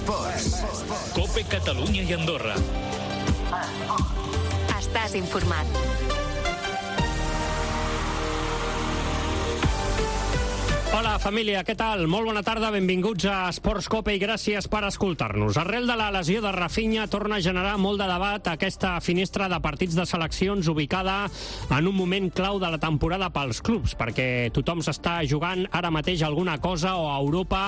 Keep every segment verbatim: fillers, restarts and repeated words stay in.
Esports. COPE Catalunya i Andorra. Estàs informat. Hola, família, què tal? Molt bona tarda, benvinguts a Esports COPE i gràcies per escoltar-nos. Arrel de la lesió de Rafinha torna a generar molt de debat aquesta finestra de partits de seleccions ubicada en un moment clau de la temporada pels clubs, perquè tothom s'està jugant ara mateix alguna cosa o a Europa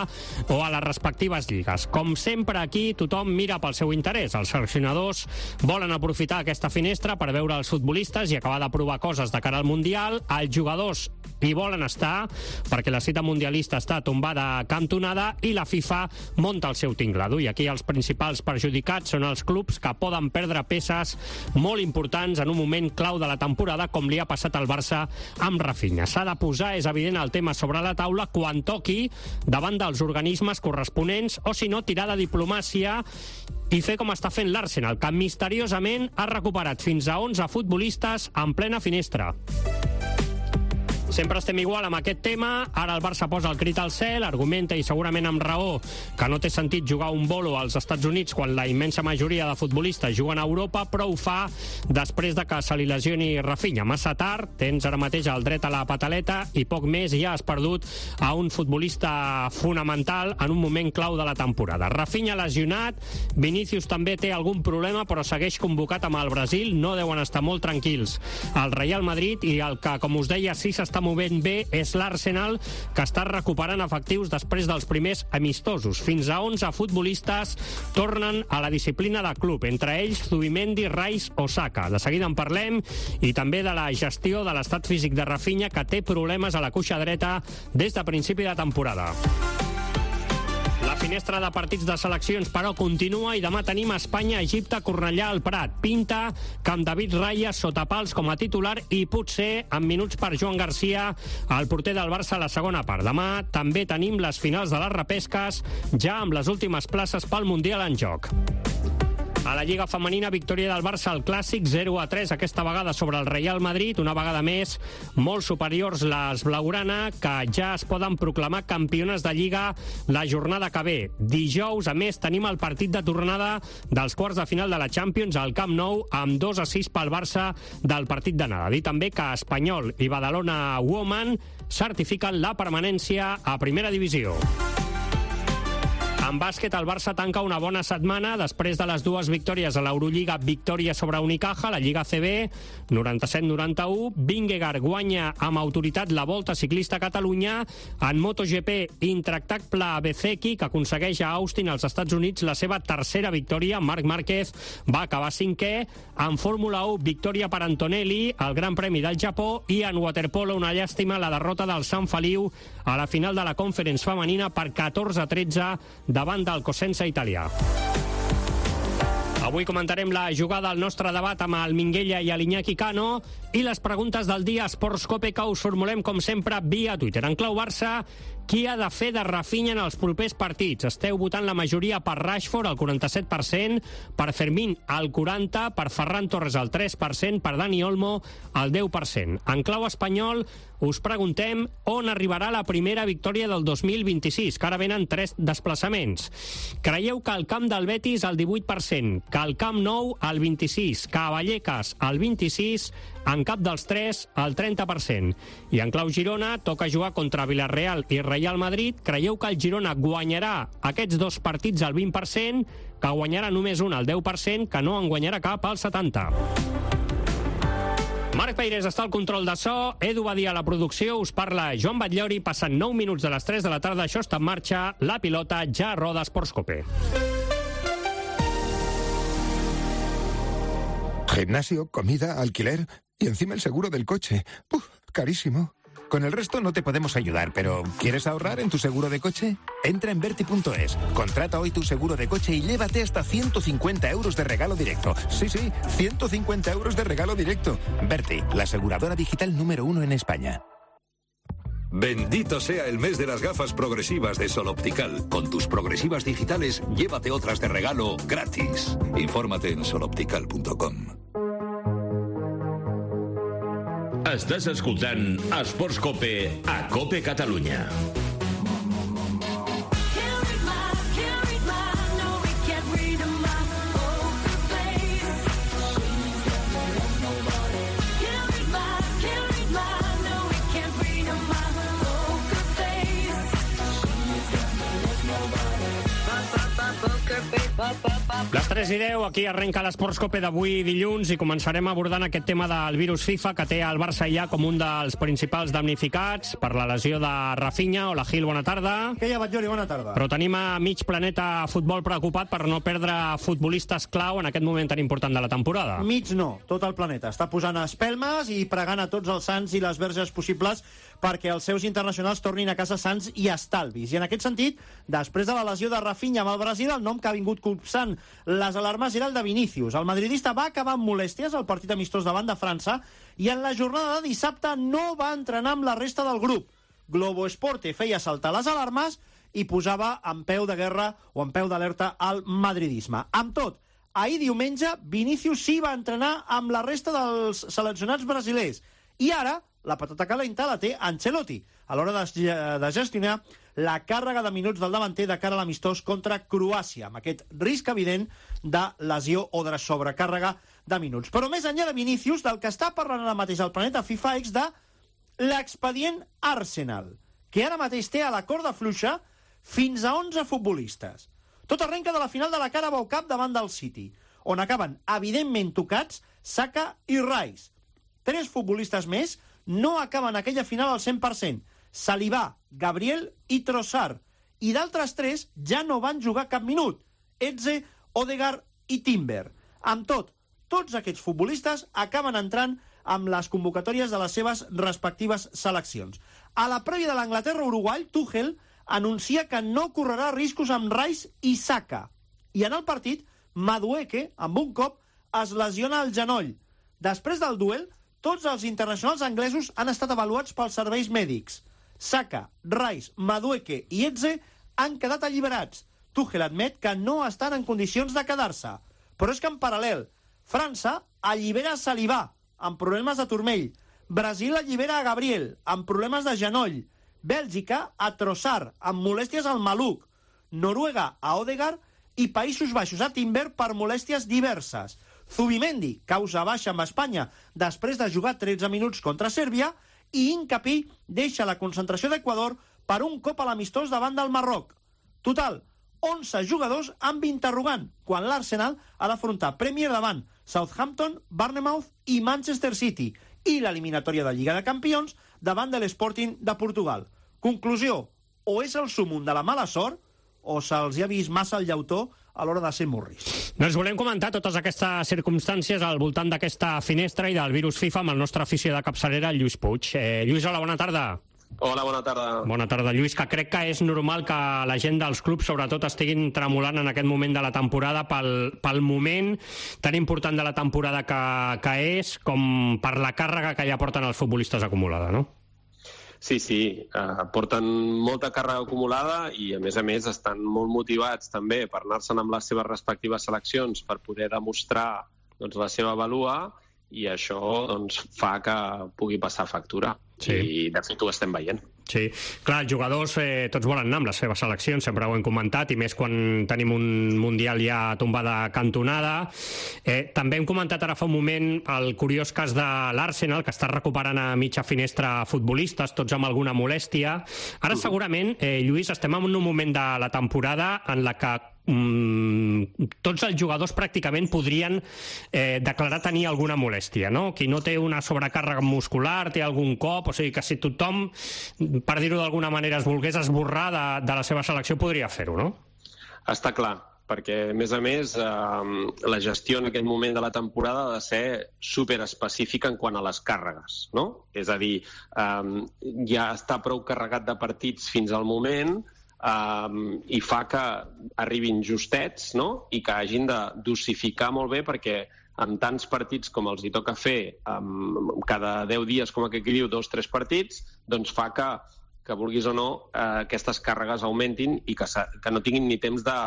o a les respectives lligues. Com sempre aquí, tothom mira pel seu interès. Els seleccionadors volen aprofitar aquesta finestra per veure els futbolistes i acabar de provar coses de cara al Mundial. Els jugadors hi volen estar perquè la cita mundialista està tombada a cantonada i la FIFA monta el seu tinglado. I aquí els principals perjudicats són els clubs que poden perdre peces molt importants en un moment clau de la temporada, com li ha passat al Barça amb Rafinha. S'ha de posar, és evident, el tema sobre la taula quan toqui davant dels organismes corresponents, o si no, tirar de diplomàcia i fer com està fent l'Arsenal, que misteriosament ha recuperat fins a onze futbolistes en plena finestra. Sempre estem igual amb aquest tema. Ara el Barça posa el crit al cel, argumenta, i segurament amb raó, que no té sentit jugar un bolo als Estats Units quan la immensa majoria de futbolistes juguen a Europa, però ho fa després de que se li lesioni Rafinha. Massa tard, tens ara mateix el dret a la pataleta i poc més, ja has perdut a un futbolista fonamental en un moment clau de la temporada. Rafinha lesionat, Vinícius també té algun problema, però segueix convocat amb el Brasil, no deuen estar molt tranquils el Real Madrid, i el que, com us deia, sí s'està movent bé és l'Arsenal, que està recuperant efectius després dels primers amistosos. Fins a onze futbolistes tornen a la disciplina de club, entre ells Zubimendi, Rice o Saka. De seguida en parlem, i també de la gestió de l'estat físic de Rafinha, que té problemes a la cuixa dreta des de principi de temporada. La finestra de partits de seleccions, però, continua, i demà tenim Espanya-Egipte, Cornellà al Prat. Pinta que amb David Raya sota pals com a titular i potser amb minuts per Joan Garcia, el porter del Barça, a la segona part. Demà també tenim les finals de les repesques, ja amb les últimes places pel Mundial en joc. A la Lliga Femenina, victòria del Barça al Clàssic, zero a tres, aquesta vegada sobre el Real Madrid, una vegada més molt superiors les blaugrana, que ja es poden proclamar campiones de Lliga la jornada que ve. Dijous, a més, tenim el partit de tornada dels quarts de final de la Champions al Camp Nou, amb dos a sis pel Barça del partit d'anada. Dir també que Espanyol i Badalona Women certifiquen la permanència a Primera Divisió. En bàsquet, el Barça tanca una bona setmana després de les dues victòries a l'Eurolliga, victòria sobre Unicaja, la Lliga A C B, noranta-set noranta-u, Vingegaard guanya amb autoritat la Volta Ciclista a Catalunya, en MotoGP, intractable Bezeki, que aconsegueix a Austin, als Estats Units, la seva tercera victòria. Marc Márquez va acabar cinquè. En Fórmula u, victòria per Antonelli, al Gran Premi del Japó, i en waterpolo, una llàstima, la derrota del Sant Feliu a la final de la Conference femenina per catorze a tretze davant del Cosenza italià. Avui comentarem la jugada al nostre debat amb el Minguella i l'Iñaki Cano, i les preguntes del dia Esports COPE, que us formulem, com sempre, via Twitter. En clau Barça, qui ha de fer de Rafinha en els propers partits? Esteu votant la majoria per Rashford, el quaranta-set per cent, per Fermín, el quaranta per cent, per Ferran Torres, el tres per cent, per Dani Olmo, el deu per cent. En clau espanyol, us preguntem on arribarà la primera victòria del dos mil vint-i-sis, que ara venen tres desplaçaments. Creieu que al camp del Betis el divuit per cent, que al Camp Nou el vint-i-sis, que a Vallecas el vint-i-sis, en cap dels tres el trenta per cent. I en clau Girona, toca jugar contra Villarreal i Real Madrid. Creieu que el Girona guanyarà aquests dos partits al vint per cent, que guanyarà només un al deu per cent, que no en guanyarà cap al setanta per cent? Marc Peirés està al control de so, Edu Badia a la producció, us parla Joan Batllori, passen nou minuts de les tres de la tarda, això està en marxa, la pilota ja roda Esports COPE. Gimnasio, comida, alquiler y encima el seguro del coche. ¡Uf! Carísimo. Con el resto no te podemos ayudar, pero ¿quieres ahorrar en tu seguro de coche? Entra en Verti punto es, contrata hoy tu seguro de coche y llévate hasta ciento cincuenta euros de regalo directo. Sí, sí, ciento cincuenta euros de regalo directo. Verti, la aseguradora digital número uno en España. Bendito sea el mes de las gafas progresivas de Sol Optical. Con tus progresivas digitales, llévate otras de regalo gratis. Infórmate en sol optical punto com. Estàs escoltant Esports COPE a COPE Catalunya. Les tres i deu, aquí arrenca l'Esports Cope d'avui dilluns i començarem abordant aquest tema del virus FIFA que té el Barça ja com un dels principals damnificats per la lesió de Rafinha. Hola, Gil, bona tarda. Què hi ha, Batllori? Bona tarda. Però tenim a mig planeta futbol preocupat per no perdre futbolistes clau en aquest moment tan important de la temporada. Mig no, tot el planeta està posant espelmes i pregant a tots els sants i les verges possibles perquè els seus internacionals tornin a casa sants i estalvis. I en aquest sentit, després de la lesió de Rafinha amb el Brasil, el nom que ha vingut copsant les alarmes era el de Vinícius. El madridista va acabar amb molèsties al partit amistós davant de França i en la jornada de dissabte no va entrenar amb la resta del grup. Globo Esporte feia saltar les alarmes i posava en peu de guerra o en peu d'alerta al madridisme. Amb tot, ahir diumenge, Vinícius sí va entrenar amb la resta dels seleccionats brasilers i ara la patata calenta la té Ancelotti a l'hora de, de gestionar la càrrega de minuts del davanter de cara a l'amistós contra Croàcia, amb aquest risc evident de lesió o de sobrecàrrega de minuts. Però més enllà de Vinícius, del que està parlant ara mateix el planeta FIFA és de l'expedient Arsenal, que ara mateix té a la corda fluixa fins a onze futbolistes. Tot arrenca de la final de la Carabao Cup davant del City, on acaben evidentment tocats Saka i Rice. Tres futbolistes més no acaben aquella final al cent per cent. Saliba, Gabriel i Trossard. I d'altres tres ja no van jugar cap minut. Eze, Odegaard i Timber. Amb tot, tots aquests futbolistes acaben entrant amb les convocatòries de les seves respectives seleccions. A la prèvia de l'Anglaterra-Uruguai, Tuchel anuncia que no correrà riscos amb Rice i Saka. I en el partit, Madueke, amb un cop, es lesiona el genoll. Després del duel, tots els internacionals anglesos han estat avaluats pels serveis mèdics. Saka, Rice, Madueke i Eze han quedat alliberats. Tuchel admet que no estan en condicions de quedar-se. Però és que en paral·lel, França allibera Saliba, amb problemes de turmell. Brasil allibera a Gabriel, amb problemes de genoll. Bèlgica a Trossard, amb molèsties al maluc. Noruega a Odegaard i Països Baixos a Timber per molèsties diverses. Zubimendi, causa baixa amb Espanya després de jugar tretze minuts contra Sèrbia, i Hincapí deixa la concentració d'Equador per un cop a l'amistós davant del Marroc. Total, onze jugadors amb interrogant, quan l'Arsenal ha d'afrontar Premier davant Southampton, Bournemouth i Manchester City, i l'eliminatòria de Lliga de Campions davant de l'Sporting de Portugal. Conclusió, o és el súmum de la mala sort, o se'ls ha vist massa el llautó a l'hora de ser morris. Doncs volem comentar totes aquestes circumstàncies al voltant d'aquesta finestra i del virus FIFA amb el nostre afició de capçalera, Lluís Puig. Eh, Lluís, hola, bona tarda. Hola, bona tarda. Bona tarda, Lluís, que crec que és normal que la gent dels clubs, sobretot, estiguin tremolant en aquest moment de la temporada pel, pel moment tan important de la temporada que, que és, com per la càrrega que ja porten els futbolistes acumulada, no? Sí, sí, uh, porten molta càrrega acumulada i, a més a més, estan molt motivats també per anar-se'n amb les seves respectives seleccions per poder demostrar doncs, la seva valua, i això doncs, fa que pugui passar factura. Sí. I, de fet, ho estem veient. Sí, clar, els jugadors eh, tots volen anar amb les seves seleccions, sempre ho hem comentat, i més quan tenim un Mundial ja tombada cantonada. Eh, també hem comentat ara fa un moment el curiós cas de l'Arsenal, que està recuperant a mitja finestra futbolistes, tots amb alguna molèstia. Ara, segurament, eh, Lluís, estem en un moment de la temporada en la que Mm, tots els jugadors pràcticament podrien eh, declarar tenir alguna molèstia, no? Qui no té una sobrecàrrega muscular, té algun cop, o sigui que si tothom, per dir-ho d'alguna manera, es volgués esborrar de, de la seva selecció, podria fer-ho, no? Està clar, perquè, a més a més, eh, la gestió en aquest moment de la temporada ha de ser superespecífica en quant a les càrregues, no? És a dir, eh, ja està prou carregat de partits fins al moment, Um, i fa que arribin justets, no? I que hagin de dosificar molt bé, perquè amb tants partits com els hi toca fer um, cada deu dies, com aquell que diu, dos, tres partits, doncs fa que, que vulguis o no, eh, aquestes càrregues augmentin i que, que no tinguin ni temps de,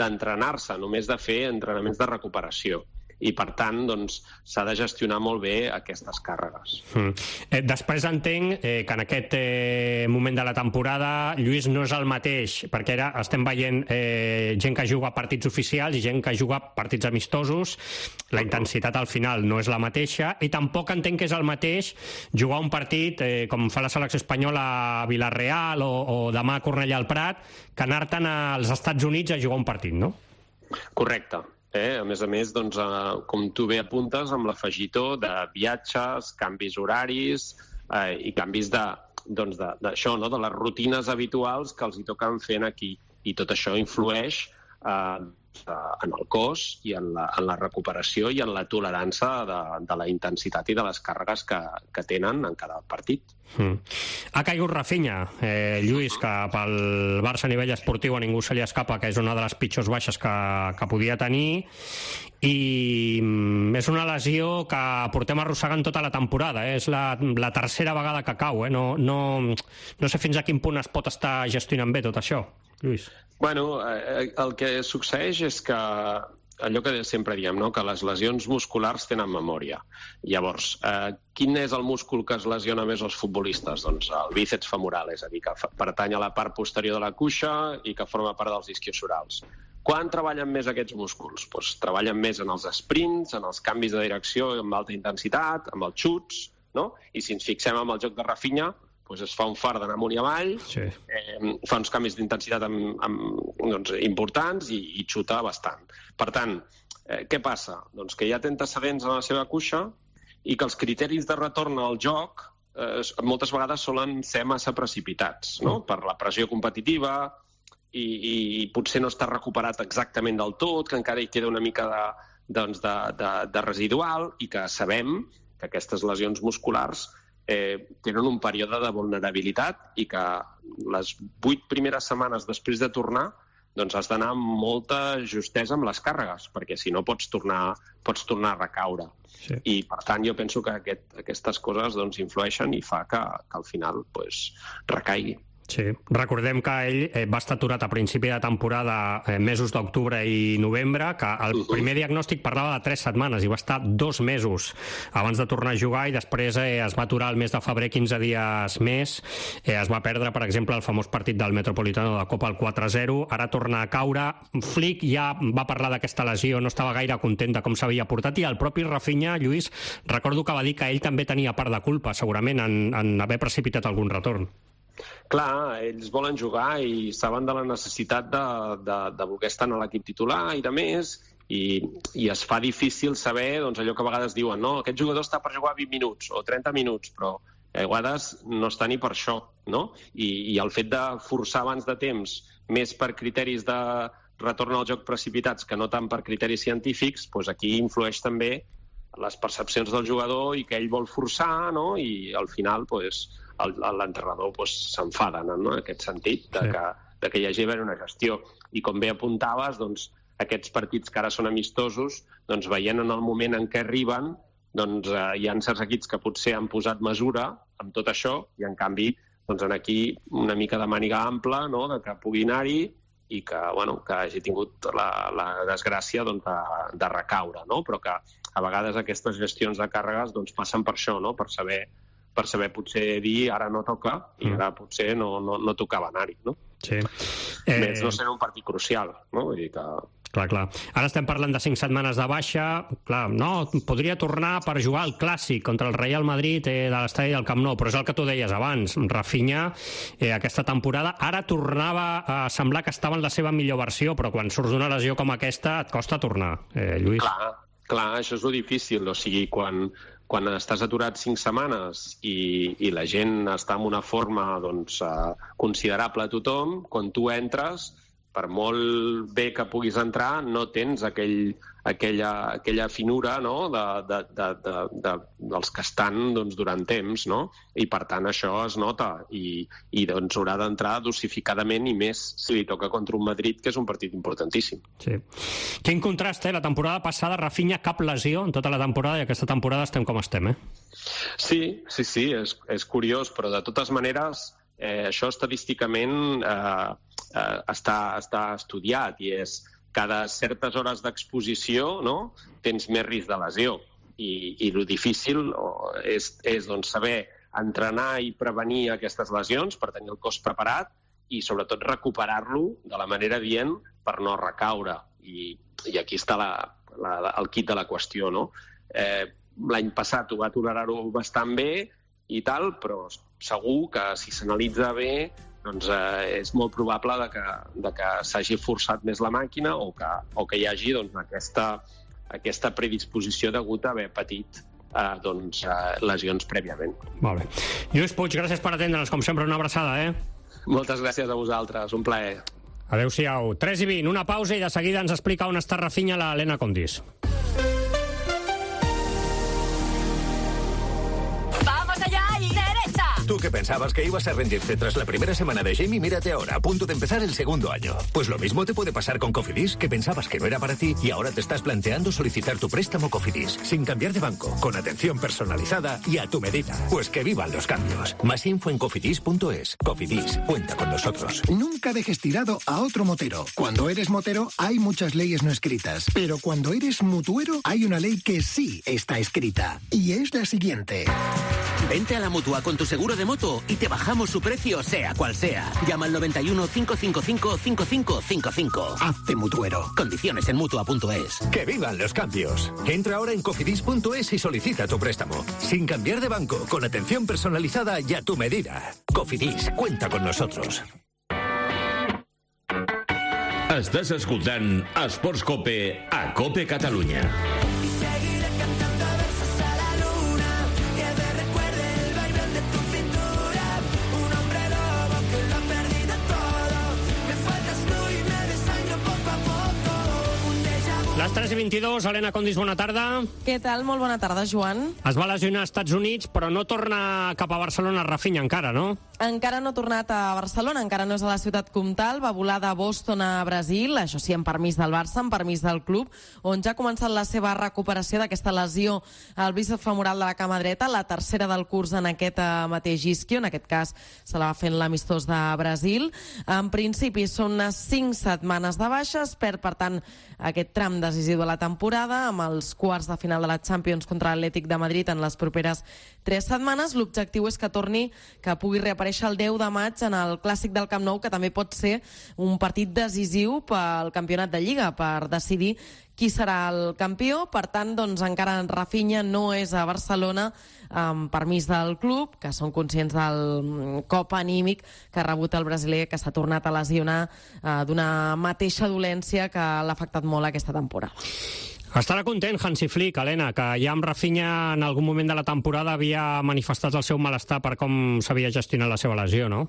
d'entrenar-se, només de fer entrenaments de recuperació. i per tant doncs, s'ha de gestionar molt bé aquestes càrregues. Mm. Eh, després entenc eh, que en aquest eh, moment de la temporada, Lluís, no és el mateix, perquè ara estem veient eh, gent que juga partits oficials i gent que juga partits amistosos, la intensitat al final no és la mateixa, i tampoc entenc que és el mateix jugar un partit eh, com fa la selecció espanyola a Villarreal o, o demà a Cornellà al Prat, que anar-te'n als Estats Units a jugar un partit, no? Correcte. Eh? A més a més, doncs, eh, com tu bé apuntes, amb l'afegitó de viatges, canvis horaris eh, i canvis de, doncs de, d'això, no? De les rutines habituals que els hi toquen fent aquí. I tot això influeix eh, en el cos i en la, en la recuperació i en la tolerància de, de la intensitat i de les càrregues que, que tenen en cada partit. Mm. Ha caigut Rafinha, eh, Lluís, que pel Barça a nivell esportiu a ningú se li escapa que és una de les pitjors baixes que, que podia tenir, i mm, és una lesió que portem arrossegant tota la temporada, eh? És la, la tercera vegada que cau, eh? no, no, no sé fins a quin punt es pot estar gestionant bé tot això, Lluís. Bueno, eh, el que succeeix és que allò que sempre diem, no? Que les lesions musculars tenen memòria. Llavors, eh, quin és el múscul que es lesiona més als futbolistes? Doncs el bíceps femoral, és a dir, que pertany a la part posterior de la cuixa i que forma part dels isquiosorals. Quan treballen més aquests músculs? Pues, treballen més en els sprints, en els canvis de direcció amb alta intensitat, amb els xuts, no? I si ens fixem en el joc de Rafinha, pues es fa un far d'anar amunt i avall, sí. eh, fa uns canvis d'intensitat amb, amb, doncs, importants i, i xuta bastant. Per tant, eh, què passa? Doncs que hi ha antecedents en la seva cuixa i que els criteris de retorn al joc eh, moltes vegades solen ser massa precipitats, no? Per la pressió competitiva i, i potser no està recuperat exactament del tot, que encara hi queda una mica de, doncs de, de, de residual, i que sabem que aquestes lesions musculars Eh, tenen un període de vulnerabilitat i que les vuit primeres setmanes després de tornar doncs has d'anar amb molta justesa amb les càrregues, perquè si no pots tornar, pots tornar a recaure. Sí. I per tant jo penso que aquest, aquestes coses doncs, influeixen i fa que, que al final pues, recaigui. Sí, recordem que ell eh, va estar aturat a principi de temporada, eh, mesos d'octubre i novembre, que el primer diagnòstic parlava de tres setmanes i va estar dos mesos abans de tornar a jugar, i després eh, es va aturar el mes de febrer quinze dies més, eh, es va perdre, per exemple, el famós partit del Metropolitano de Copa, el quatre a zero, ara torna a caure. Flick ja va parlar d'aquesta lesió, no estava gaire content de com s'havia portat, i el propi Rafinha, Lluís, recordo que va dir que ell també tenia part de culpa, segurament, en, en haver precipitat algun retorn. Clar, ells volen jugar i saben de la necessitat de, de, de voler estar en l'equip titular i de més, i, i es fa difícil saber doncs, allò que a vegades diuen, no, aquest jugador està per jugar vint minuts o trenta minuts, però a vegades no està ni per això, no? I, i el fet de forçar abans de temps, més per criteris de retorn al joc precipitats que no tant per criteris científics, doncs aquí influeix també les percepcions del jugador i que ell vol forçar, no? I al final doncs, l'entrenador doncs, s'enfada, no? En aquest sentit, de que, de que hi hagi una gestió. I com bé apuntaves, doncs, aquests partits que ara són amistosos, doncs, veient en el moment en què arriben, doncs, eh, hi ha certs equips que potser han posat mesura amb tot això, i en canvi doncs, en aquí una mica de màniga ampla, no? De que pugui anar-hi i que, bueno, que hagi tingut la, la desgràcia doncs, de, de recaure, no? Però que a vegades aquestes gestions de càrregues doncs, passen per això, no? Per saber per saber potser dir ara no toca i ara potser no, no, no tocava anar-hi, no? Sí. Eh... Més no serà un partit crucial, no? Vull dir que... Clar, clar. Ara estem parlant de cinc setmanes de baixa. Clar, no, podria tornar per jugar al Clàssic contra el Real Madrid eh, de l'estadi del Camp Nou, però és el que tu deies abans. Rafinha, eh, aquesta temporada, ara tornava a semblar que estava en la seva millor versió, però quan surts d'una lesió com aquesta et costa tornar, eh, Lluís. Clar, clar, això és lo difícil. O sigui, quan, quan estàs aturat cinc setmanes i, i la gent està en una forma doncs, eh, considerable a tothom, quan tu entres, per molt bé que puguis entrar, no tens aquell, aquella, aquella finura, no? de, de, de, de, de, dels que estan doncs, durant temps, no? I per tant això es nota i, i doncs, haurà d'entrar dosificadament, i més si li toca contra un Madrid, que és un partit importantíssim. Sí. Quin contrast, eh? La temporada passada Rafinha cap lesió en tota la temporada, i aquesta temporada estem com estem, eh? Sí, sí, sí, és, és curiós, però de totes maneres eh, això estadísticament eh, eh, està, està estudiat, i és cada certes hores d'exposició, no?, tens més risc de lesió. I, i el difícil és, és doncs, saber entrenar i prevenir aquestes lesions per tenir el cos preparat i, sobretot, recuperar-lo de la manera adient per no recaure. I, i aquí està la, la, el kit de la qüestió, no? Eh, L'any passat ho va tolerar-ho bastant bé i tal, però segur que si s'analitza bé doncs, eh, és molt probable de que, de que s'hagi forçat més la màquina o que, o que hi hagi doncs, aquesta, aquesta predisposició degut a haver patit eh, doncs, eh, lesions prèviament. Molt bé. Lluís Puig, gràcies per atendre'ns, com sempre, una abraçada, eh? Moltes gràcies a vosaltres, un plaer. Adéu-siau. tres i vint, una pausa i de seguida ens explica on està Rafinha la Helena Condis. ¿Tú qué pensabas que ibas a rendirte tras la primera semana de Jamie? Mírate ahora, a punto de empezar el segundo año. Pues lo mismo te puede pasar con Cofidis, que pensabas que no era para ti y ahora te estás planteando solicitar tu préstamo Cofidis, sin cambiar de banco, con atención personalizada y a tu medida. Pues que vivan los cambios. Más info en cofidis punto es. Cofidis, cuenta con nosotros. Nunca dejes tirado a otro motero. Cuando eres motero hay muchas leyes no escritas, pero cuando eres mutuero hay una ley que sí está escrita. Y es la siguiente. Vente a la Mutua con tu seguro de moto y te bajamos su precio sea cual sea. Llama al noventa y uno, cinco cinco cinco, cinco cinco cinco cinco. Hazte mutuero. Condiciones en mutua punto es. ¡Que vivan los cambios! Entra ahora en cofidis punto es y solicita tu préstamo. Sin cambiar de banco, con atención personalizada y a tu medida. Cofidis, cuenta con nosotros. Estàs escoltant Esports Cope a Cope Catalunya. Les tres i vint-i-dos, Helena Condis, bona tarda. Què tal? Molt bona tarda, Joan. Es va lesionar als Estats Units, però no torna cap a Barcelona Rafinha encara, no? Encara no ha tornat a Barcelona, encara no és a la ciutat comtal, va volar de Boston a Brasil, això sí, amb permís del Barça, amb permís del club, on ja ha començat la seva recuperació d'aquesta lesió al bíceps femoral de la cama dreta, la tercera del curs en aquest mateix isquio, en aquest cas se la va fent l'amistós de Brasil. En principi són unes cinc setmanes de baixes, perd, per tant, aquest tram decisiu de la temporada, amb els quarts de final de la Champions contra l'Atlètic de Madrid en les properes tres setmanes. L'objectiu és que torni, que pugui reaparèixer el deu de maig en el Clàssic del Camp Nou, que també pot ser un partit decisiu pel campionat de Lliga, per decidir qui serà el campió. Per tant, doncs, encara Rafinha no és a Barcelona, amb permís del club, que són conscients del cop anímic que ha rebut el brasiler, que s'ha tornat a lesionar eh, d'una mateixa dolència que l'ha afectat molt aquesta temporada. Estarà content Hansi Flick, Helena, que ja amb Rafinha en algun moment de la temporada havia manifestat el seu malestar per com s'havia gestionat la seva lesió, no?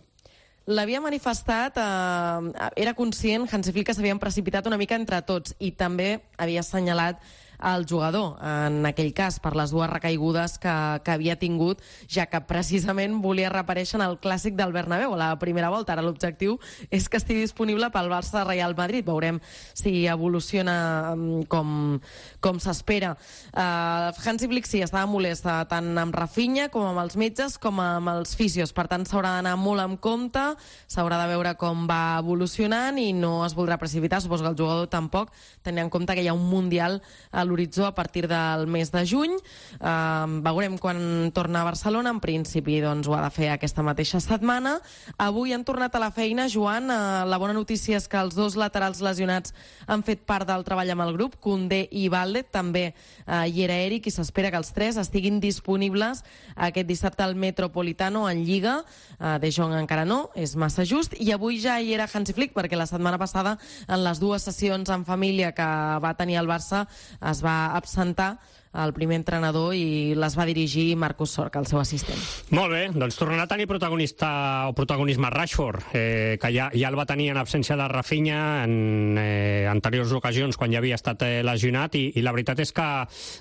L'havia manifestat, eh, era conscient Hansi Flick que s'havien precipitat una mica entre tots i també havia assenyalat el jugador, en aquell cas, per les dues recaigudes que, que havia tingut, ja que precisament volia reaparèixer en el Clàssic del Bernabéu a la primera volta. Ara l'objectiu és que estigui disponible pel Barça Real Madrid. Veurem si evoluciona com, com s'espera. Uh, Hansi Flick sí, estava molest tant amb Rafinha com amb els metges com amb els fisios. Per tant, s'haurà d'anar molt amb compte, s'haurà de veure com va evolucionant i no es voldrà precipitar. Suposo que el jugador tampoc, tenint en compte que hi ha un Mundial a l'horitzó a partir del mes de juny. Uh, veurem quan torna a Barcelona. En principi, doncs, ho ha de fer aquesta mateixa setmana. Avui han tornat a la feina, Joan. Uh, la bona notícia és que els dos laterals lesionats han fet part del treball amb el grup, Koundé i Valde. També uh, hi era Eric i s'espera que els tres estiguin disponibles aquest dissabte al Metropolitano en Lliga. Uh, De Jong encara no, és massa just. I avui ja hi era Hansi Flick, perquè la setmana passada, en les dues sessions en família que va tenir el Barça, es va absentar el primer entrenador i les va dirigir Marcus Sorca, el seu assistent. Molt bé, doncs tornarà a tenir protagonista o protagonisme Rashford, eh, que ja, ja el va tenir en absència de Rafinha en eh, anteriors ocasions quan ja havia estat eh, lesionat i, i la veritat és que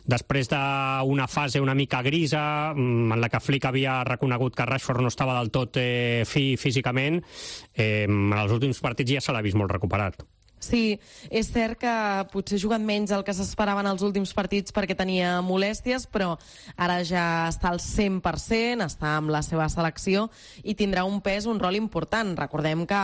després d'una fase una mica grisa en la que Flick havia reconegut que Rashford no estava del tot eh, fi físicament, eh, en els últims partits ja se l'ha vist molt recuperat. Sí, és cert que potser ha jugat menys el que s'esperaven els últims partits perquè tenia molèsties, però ara ja està al cent per cent, està amb la seva selecció i tindrà un pes, un rol important. Recordem que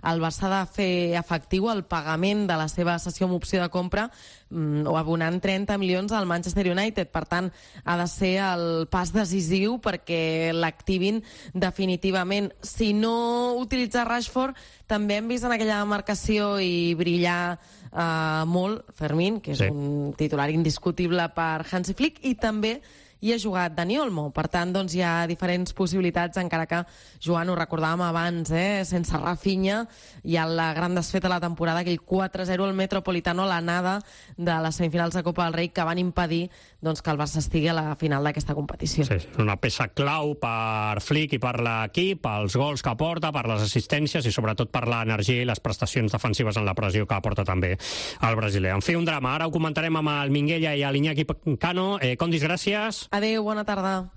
el Barça ha de fer efectiu el pagament de la seva cessió amb opció de compra mm, o abonant trenta milions al Manchester United. Per tant, ha de ser el pas decisiu perquè l'activin definitivament. Si no utilitza Rashford, també hem vist en aquella marcació i brillar eh, molt Fermín, que és sí. un titular indiscutible per Hansi Flick, i també hi ha jugat Dani Olmo. Per tant, doncs, hi ha diferents possibilitats, encara que, Joan, ho recordàvem abans, eh? sense Rafinha, hi ha la gran desfeta de la temporada, aquell quatre a zero al Metropolitano, l'anada de les semifinals de Copa del Rei, que van impedir doncs, que el Barça estigui a la final d'aquesta competició. Sí, una peça clau per Flick i per l'equip, els gols que aporta, per les assistències i sobretot per l'energia i les prestacions defensives en la pressió que aporta també el brasiler. En fi, un drama. Ara ho comentarem amb el Minguella i l'Iñaki Cano. Eh, Condis, gràcies. Adéu, bona tarda.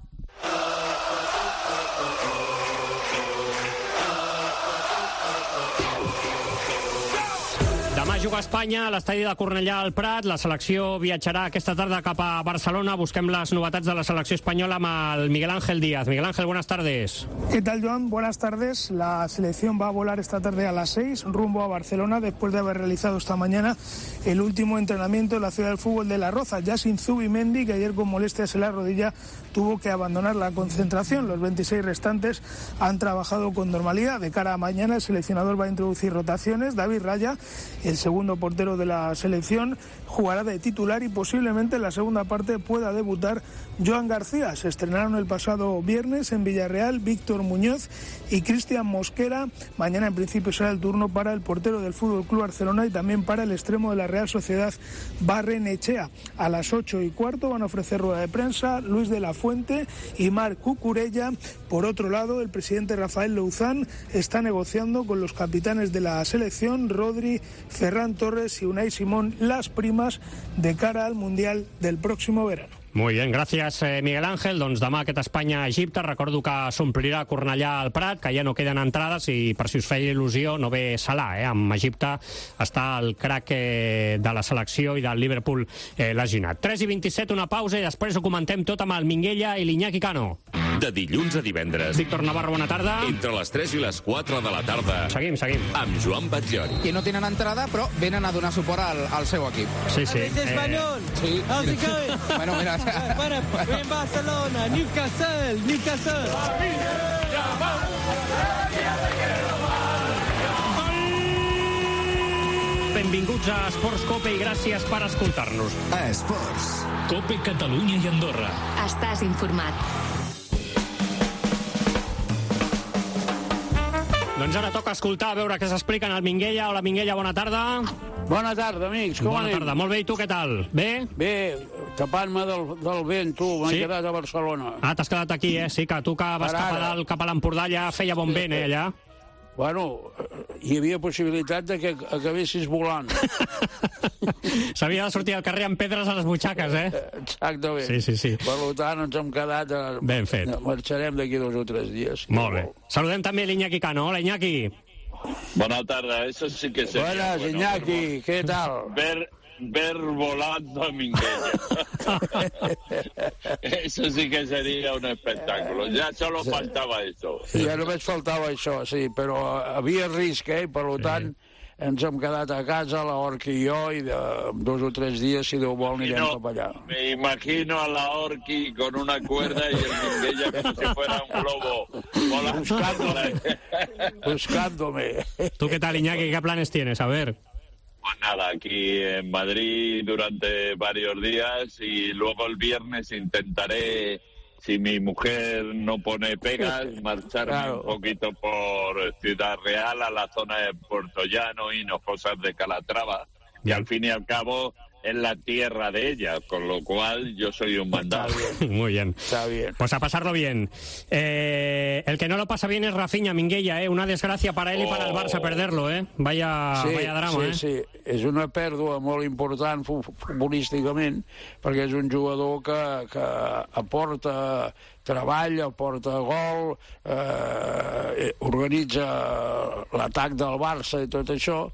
Demà juga a Espanya, a l'estadi de Cornellà al Prat. La selecció viatjarà aquesta tarda cap a Barcelona. Busquem las novedades de la selección española amb el Miguel Ángel Díaz. Miguel Ángel, buenas tardes. ¿Qué tal, Joan? Buenas tardes. La selección va a volar esta tarde a las seis rumbo a Barcelona después de haber realizado esta mañana el último entrenamiento en la ciudad del fútbol de La Roza. Yassin Zubimendi, que ayer con molestias en la rodilla tuvo que abandonar la concentración. Los veintiséis restantes han trabajado con normalidad. De cara a mañana el seleccionador va a introducir rotaciones. David Raya, el segundo portero de la selección, jugará de titular y posiblemente en la segunda parte pueda debutar Joan García. Se estrenaron el pasado viernes en Villarreal Víctor Muñoz y Cristian Mosquera. Mañana en principio será el turno para el portero del Fútbol Club Barcelona y también para el extremo de la Real Sociedad Barrenechea. A las ocho y cuarto van a ofrecer rueda de prensa Luis de la Fuente y Marc Cucurella. Por otro lado, el presidente Rafael Louzán está negociando con los capitanes de la selección, Rodri, Ferran Torres y Unai Simón, las primas de cara al Mundial del próximo verano. Muy bien, gràcies, eh, Miguel Ángel. Doncs demà aquest Espanya-Egipte. Recordo que s'omplirà Cornellà al Prat, que ja no queden entrades i per si us feia il·lusió no ve Salah. Eh? Amb Egipte està el crack eh, de la selecció i del Liverpool eh, lesionat. tres i vint-i-set, una pausa i després ho comentem tot amb el Minguella i l'Iñaki Cano. De dilluns a divendres. Víctor Navarro, bona tarda. Entre les tres i les quatre de la tarda. Seguim, seguim. Amb Joan Batllori. Que no tenen entrada, però venen a donar suport al, al seu equip. Sí, sí. ¿Es español? Eh... Sí. How's it going? Bueno, mira... Bueno, en Barcelona, Newcastle, Newcastle. Benvinguts a Esports Cope i gràcies per escoltar-nos. A Esports. Cope Catalunya i Andorra. Estàs informat. Doncs ara toca escoltar, a veure què s'explica en el Minguella. Hola, Minguella, bona tarda. Bona tarda, amics. Com bona anem? tarda, molt bé. I tu què tal? Bé? Bé, tapant-me del, del vent, tu. M'he Sí? quedat a Barcelona. Ah, t'has quedat aquí, eh? Sí, que tu que vas Per cap a ara. dalt, cap a l'Empordà, ja feia bon vent, eh, allà. Bueno, hi havia possibilitat de que acabessis volant. S'havia de sortir al carrer amb pedres a les butxaques, eh? Exactament. Sí, sí, sí. Per tant, ens hem quedat... A... Ben fet. Marxarem d'aquí dos o tres dies. Molt bé. Saludem també l'Iñaki Cano. Hola, Iñaki. Buenas tardes, eso sí que sería Buenas, bueno, Iñaki, ver, ¿qué tal? Ver, ver volando a Minguella. Eso sí que sería un espectáculo. Ya solo Sí. faltaba eso. Ja només faltava això, sí, però havia risc, eh? Per tant, ens hem quedat a casa, la Orqui i jo, i de dos o tres dies, si Déu vol, anirem no, cap allà. Me imagino a la Orqui con una cuerda y el Minguella como si fuera un globo volando. Buscándome. Buscándome. ¿Tú qué tal, Iñaki? ¿Qué planes tienes? A ver. Pues nada, aquí en Madrid durante varios días y luego el viernes intentaré, si mi mujer no pone pegas, marcharme Claro. un poquito por Ciudad Real, a la zona de Puerto Llano, Hinojosas de Calatrava. Y al fin y al cabo, en la tierra de ella, con lo cual yo soy un mandado. Muy bien. Está bien. Pues a pasarlo bien. Eh, el que no lo pasa bien es Rafinha, Minguella, ¿eh? Una desgracia para él y para el Barça perderlo, ¿eh? Vaya, sí, vaya drama, sí, ¿eh? Sí, és una pèrdua molt important futbolísticament, perquè és un jugador que, que aporta treball, aporta gol, eh, organitza l'atac del Barça i tot això.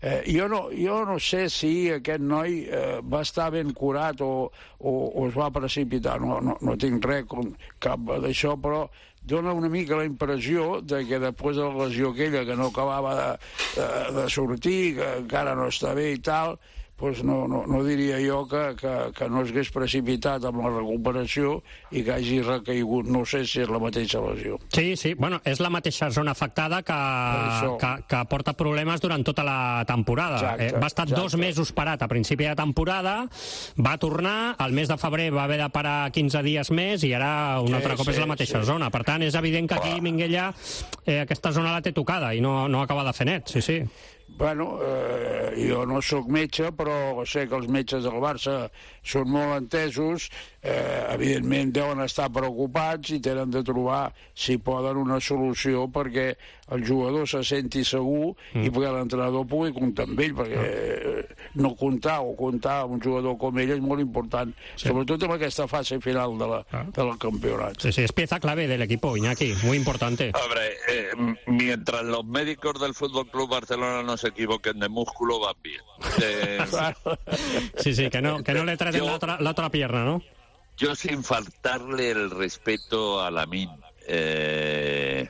Eh, jo, no, jo no sé si aquest noi eh, va estar ben curat o, o, o es va precipitar, no, no, no tinc res com cap d'això, però dona una mica la impressió de que després de la lesió aquella que no acabava de, de, de sortir, que encara no està bé i tal, doncs no, no, no diria jo que, que, que no es hagués precipitat amb la recuperació i que hagi recaigut. No sé si és la mateixa lesió. Sí, sí, bueno, és la mateixa zona afectada que, que, que porta problemes durant tota la temporada. Exacte, eh, va estar exacte. dos mesos parat a principi de temporada, va tornar, al mes de febrer va haver de parar quinze dies més i ara un sí, altre cop sí, és la mateixa sí. zona. Per tant, és evident que aquí Minguella eh, aquesta zona la té tocada i no, no acaba de fer net, sí, sí. Bueno, eh, jo no sóc metge, però sé que els metges del Barça són molt entesos, eh, evidentment deuen estar preocupats i tenen de trobar, si poden, una solució perquè el jugador se senti segur mm. i perquè l'entrenador pugui comptar amb ell, perquè eh, no comptar o comptar amb un jugador com ell és molt important, sí. sobretot en aquesta fase final de la, ah. del campionat. Sí, sí, es pieza clave del equipo, Iñaki, muy importante. Hombre, eh, mientras los médicos del Fútbol Club Barcelona no se equivoquen de músculo, van bien. Eh, sí, sí, que no, que no le traten la otra, la otra pierna, ¿no? Yo, sin faltarle el respeto a Lamine, eh,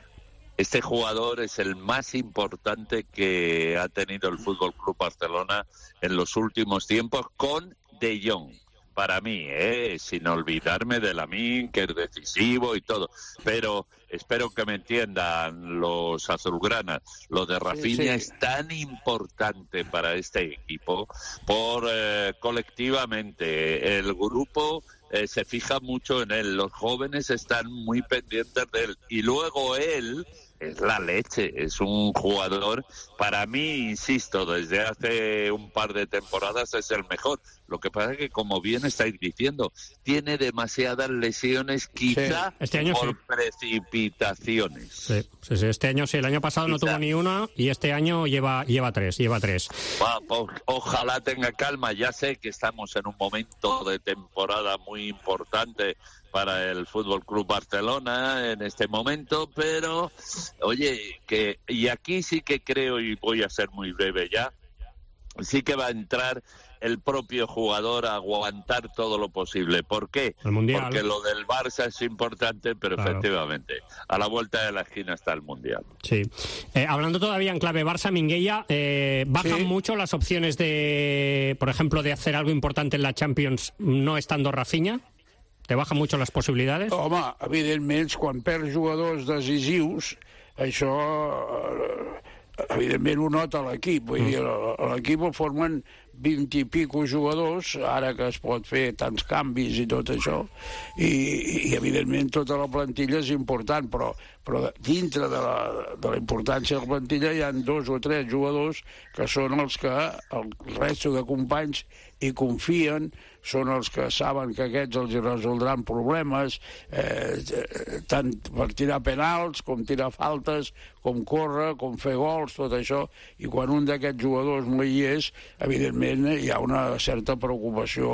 este jugador es el más importante que ha tenido el Fútbol Club Barcelona en los últimos tiempos, con De Jong. Para mí, ¿eh? Sin olvidarme de Lamine, que es decisivo y todo. Pero espero que me entiendan los azulgranas. Lo de Rafinha sí, sí. es tan importante para este equipo por eh, colectivamente el grupo eh, se fija mucho en él. Los jóvenes están muy pendientes de él. Y luego él es la leche, es un jugador, para mí, insisto, desde hace un par de temporadas es el mejor. Lo que pasa es que, como bien estáis diciendo, tiene demasiadas lesiones, quizá sí, este año por sí. precipitaciones. Sí, sí, sí, este año sí, el año pasado quizá. no tuvo ni una y este año lleva, lleva tres, lleva tres. Va, pues, ojalá tenga calma, ya sé que estamos en un momento de temporada muy importante para el Fútbol Club Barcelona en este momento, pero oye, que y aquí sí que creo, y voy a ser muy breve ya, sí que va a entrar el propio jugador a aguantar todo lo posible. ¿Por qué? El Mundial. Porque lo del Barça es importante, pero claro. efectivamente, a la vuelta de la esquina está el Mundial. Sí. Eh, hablando todavía en clave Barça, Minguella, eh, bajan ¿Sí? mucho las opciones de, por ejemplo, de hacer algo importante en la Champions no estando Rafinha? Te baja mucho les possibilitats? Home, evidentment, quan perds jugadors decisius, això, evidentment, ho nota l'equip. Vull dir, l'equip ho formen vint i pico jugadors, ara que es pot fer tants canvis i tot això, i, i evidentment tota la plantilla és important, però, però dintre de la, de la importància de la plantilla hi ha dos o tres jugadors que són els que el resto de companys hi confien, són els que saben que aquests els resoldran problemes, eh, tant per tirar penals, com tirar faltes, com córrer, com fer gols, tot això, i quan un d'aquests jugadors no hi és, evidentment hi ha una certa preocupació